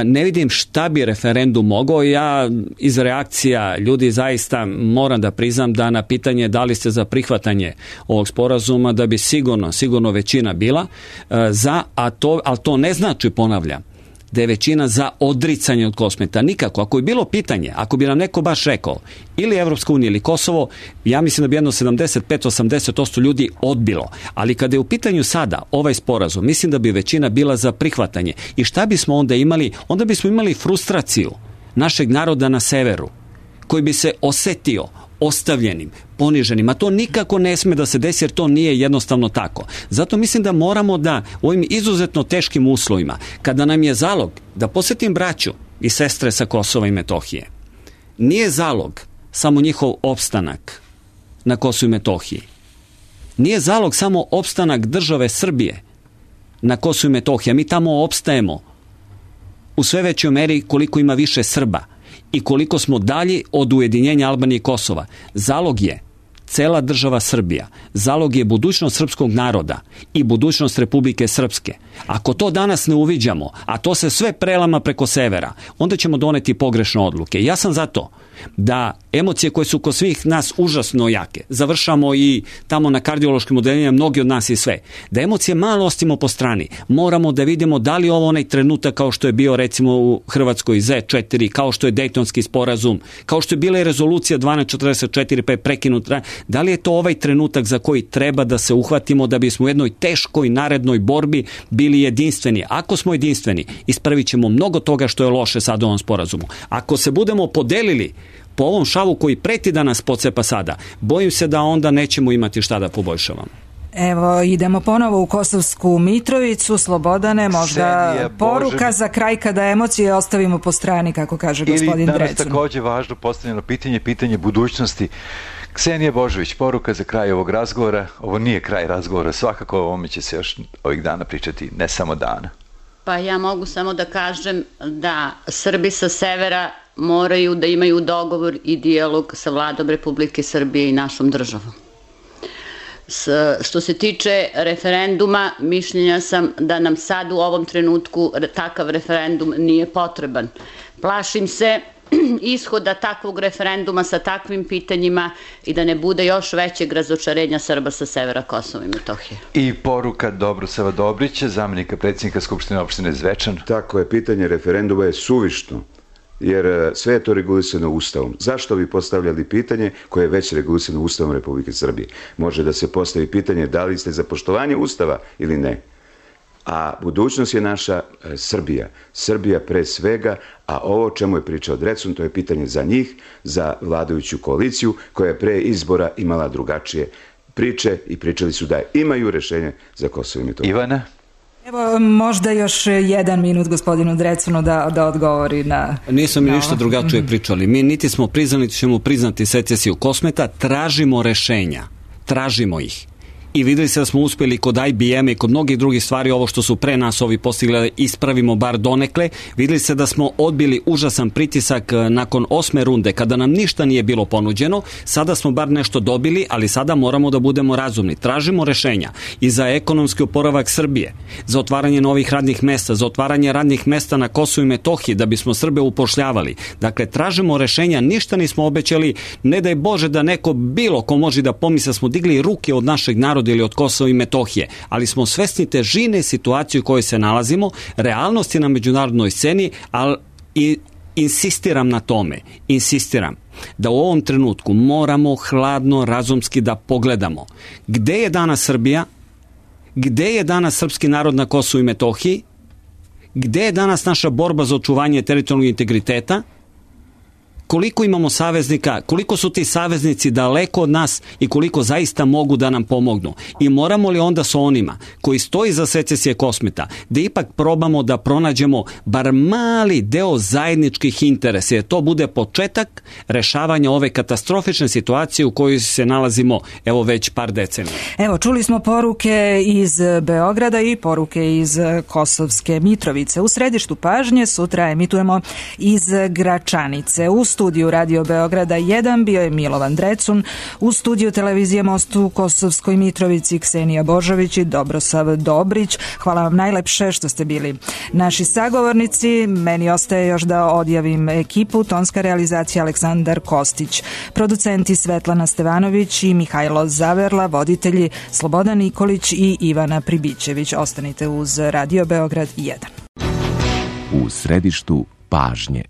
G: Ne vidim šta bi referendum mogao. Ja iz reakcija ljudi zaista moram da priznam da na pitanje da li ste za prihvatanje ovog sporazuma, da bi sigurno, sigurno većina bila za, a to, ali to ne znači, ponavljam, da je većina za odricanje od Kosmeta. Nikako. Ako je bilo pitanje, ako bi nam neko baš rekao ili Evropska unija ili Kosovo, ja mislim da bi jedno sedamdeset pet do osamdeset posto ljudi odbilo. Ali kada je u pitanju sada ovaj sporazum, mislim da bi većina bila za prihvatanje. I šta bismo onda imali? Onda bismo imali frustraciju našeg naroda na severu, koji bi se osetio ostavljenim, poniženim, a to nikako ne sme da se desi jer to nije jednostavno tako. Zato mislim da moramo da u ovim izuzetno teškim uslovima, kada nam je zalog, da posjetim braću i sestre sa Kosova i Metohije, nije zalog samo njihov opstanak na Kosovu i Metohiji. Nije zalog samo opstanak države Srbije na Kosovu i Metohiji, a mi tamo opstajemo u sve većoj meri koliko ima više Srba i koliko smo dalje od ujedinjenja Albanije i Kosova. Zalog je cela država Srbija. Zalog je budućnost srpskog naroda i budućnost Republike Srpske. Ako to danas ne uviđamo, a to se sve prelama preko severa, onda ćemo doneti pogrešne odluke. Ja sam zato da emocije koje su kod svih nas užasno jake, završamo i tamo na kardiološkim odeljenjima, mnogi od nas i sve, da emocije malo ostimo po strani. Moramo da vidimo da li ovo onaj trenutak kao što je bio recimo u Hrvatskoj zet četiri, kao što je Dejtonski sporazum, kao što je bila i rezolucija dvanaest četrdeset četiri pa je prekinuta, da li je to ovaj trenutak za koji treba da se uhvatimo da bismo u jednoj teškoj narednoj borbi bili jedinstveni. Ako smo jedinstveni, ispravit ćemo mnogo toga što je loše sad u ovom sporazumu. Ako se budemo podelili po ovom šavu koji preti da nas pocepa sada, bojim se da onda nećemo imati šta da poboljšavamo.
A: Evo, idemo ponovo u Kosovsku Mitrovicu. Slobodane, možda Ksenija, poruka Bože... za kraj kada emocije ostavimo po strani, kako kaže gospodin Drecun.
E: Ili danas takođe važno postavljeno pitanje, pitanje budućnosti. Ksenija Božović, poruka za kraj ovog razgovora. Ovo nije kraj razgovora, svakako o ovome će se još ovih dana pričati, ne samo dana.
D: Pa ja mogu samo da kažem da Srbi sa severa moraju da imaju dogovor i dijalog sa vladom Republike Srbije i našom državom. S, što se tiče referenduma, mišljenja sam da nam sad u ovom trenutku takav referendum nije potreban. Plašim se ishoda takvog referenduma sa takvim pitanjima i da ne bude još većeg razočarenja Srba sa severa Kosova i Metohije.
E: I poruka Dobrosava Dobrića, zamenika predsjednika Skupštine opštine Zvečan.
F: Tako je, pitanje referenduma je suvišno, jer sve je to regulisano Ustavom. Zašto bi postavljali pitanje koje je već regulisano Ustavom Republike Srbije? Može da se postavi pitanje da li ste za poštovanje Ustava ili ne. A budućnost je naša e, Srbija. Srbija pre svega, a ovo čemu je pričao Drecun, to je pitanje za njih, za vladajuću koaliciju, koja je pre izbora imala drugačije priče i pričali su da imaju rešenje za Kosovo i Metohiju.
E: Ivana?
A: Evo, možda još jedan minut gospodinu Drecunu da, da odgovori na...
G: Nismo mi ništa drugačije pričali. Mi niti smo priznali, niti ćemo priznati secesiju Kosmeta, tražimo rešenja. Tražimo ih. I videli se da smo uspjeli kod I B M i kod mnogih drugih stvari, ovo što su pre nas ovi postigli da ispravimo bar donekle. Videli se da smo odbili užasan pritisak nakon osme runde kada nam ništa nije bilo ponuđeno. Sada smo bar nešto dobili, ali sada moramo da budemo razumni. Tražimo rešenja i za ekonomski oporavak Srbije, za otvaranje novih radnih mesta, za otvaranje radnih mesta na Kosovu i Metohiji da bismo Srbe upošljavali. Dakle, tražimo rešenja, ništa nismo obećali, ne daj Bože da neko bilo ko može da pomisli da smo digli ruke od našeg naroda ili od Kosova i Metohije, ali smo svesni težine situacije u kojoj se nalazimo, realnosti na međunarodnoj sceni, ali i insistiram na tome, insistiram da u ovom trenutku moramo hladno, razumski da pogledamo gde je danas Srbija, gde je danas srpski narod na Kosovu i Metohiji, gde je danas naša borba za očuvanje teritorijalnog integriteta, koliko imamo saveznika, koliko su ti saveznici daleko od nas i koliko zaista mogu da nam pomognu. I moramo li onda sa onima koji stoji za secesije Kosmeta da ipak probamo da pronađemo bar mali deo zajedničkih interesa, jer to bude početak rešavanja ove katastrofične situacije u kojoj se nalazimo evo već par decenija.
A: Evo, čuli smo poruke iz Beograda i poruke iz Kosovske Mitrovice. U središtu pažnje sutra emitujemo iz Gračanice. U studiju Radio Beograda jedan bio je Milovan Drecun, u studiju televizije Most u Kosovskoj Mitrovici Ksenija Božović i Dobrosav Dobrić. Hvala vam najlepše što ste bili naši sagovornici. Meni ostaje još da odjavim ekipu. Tonska realizacija Aleksandar Kostić, producenti Svetlana Stevanović i Mihajlo Zaverla, voditelji Slobodan Nikolić i Ivana Pribićević. Ostanite uz Radio Beograd jedan.
J: U središtu pažnje.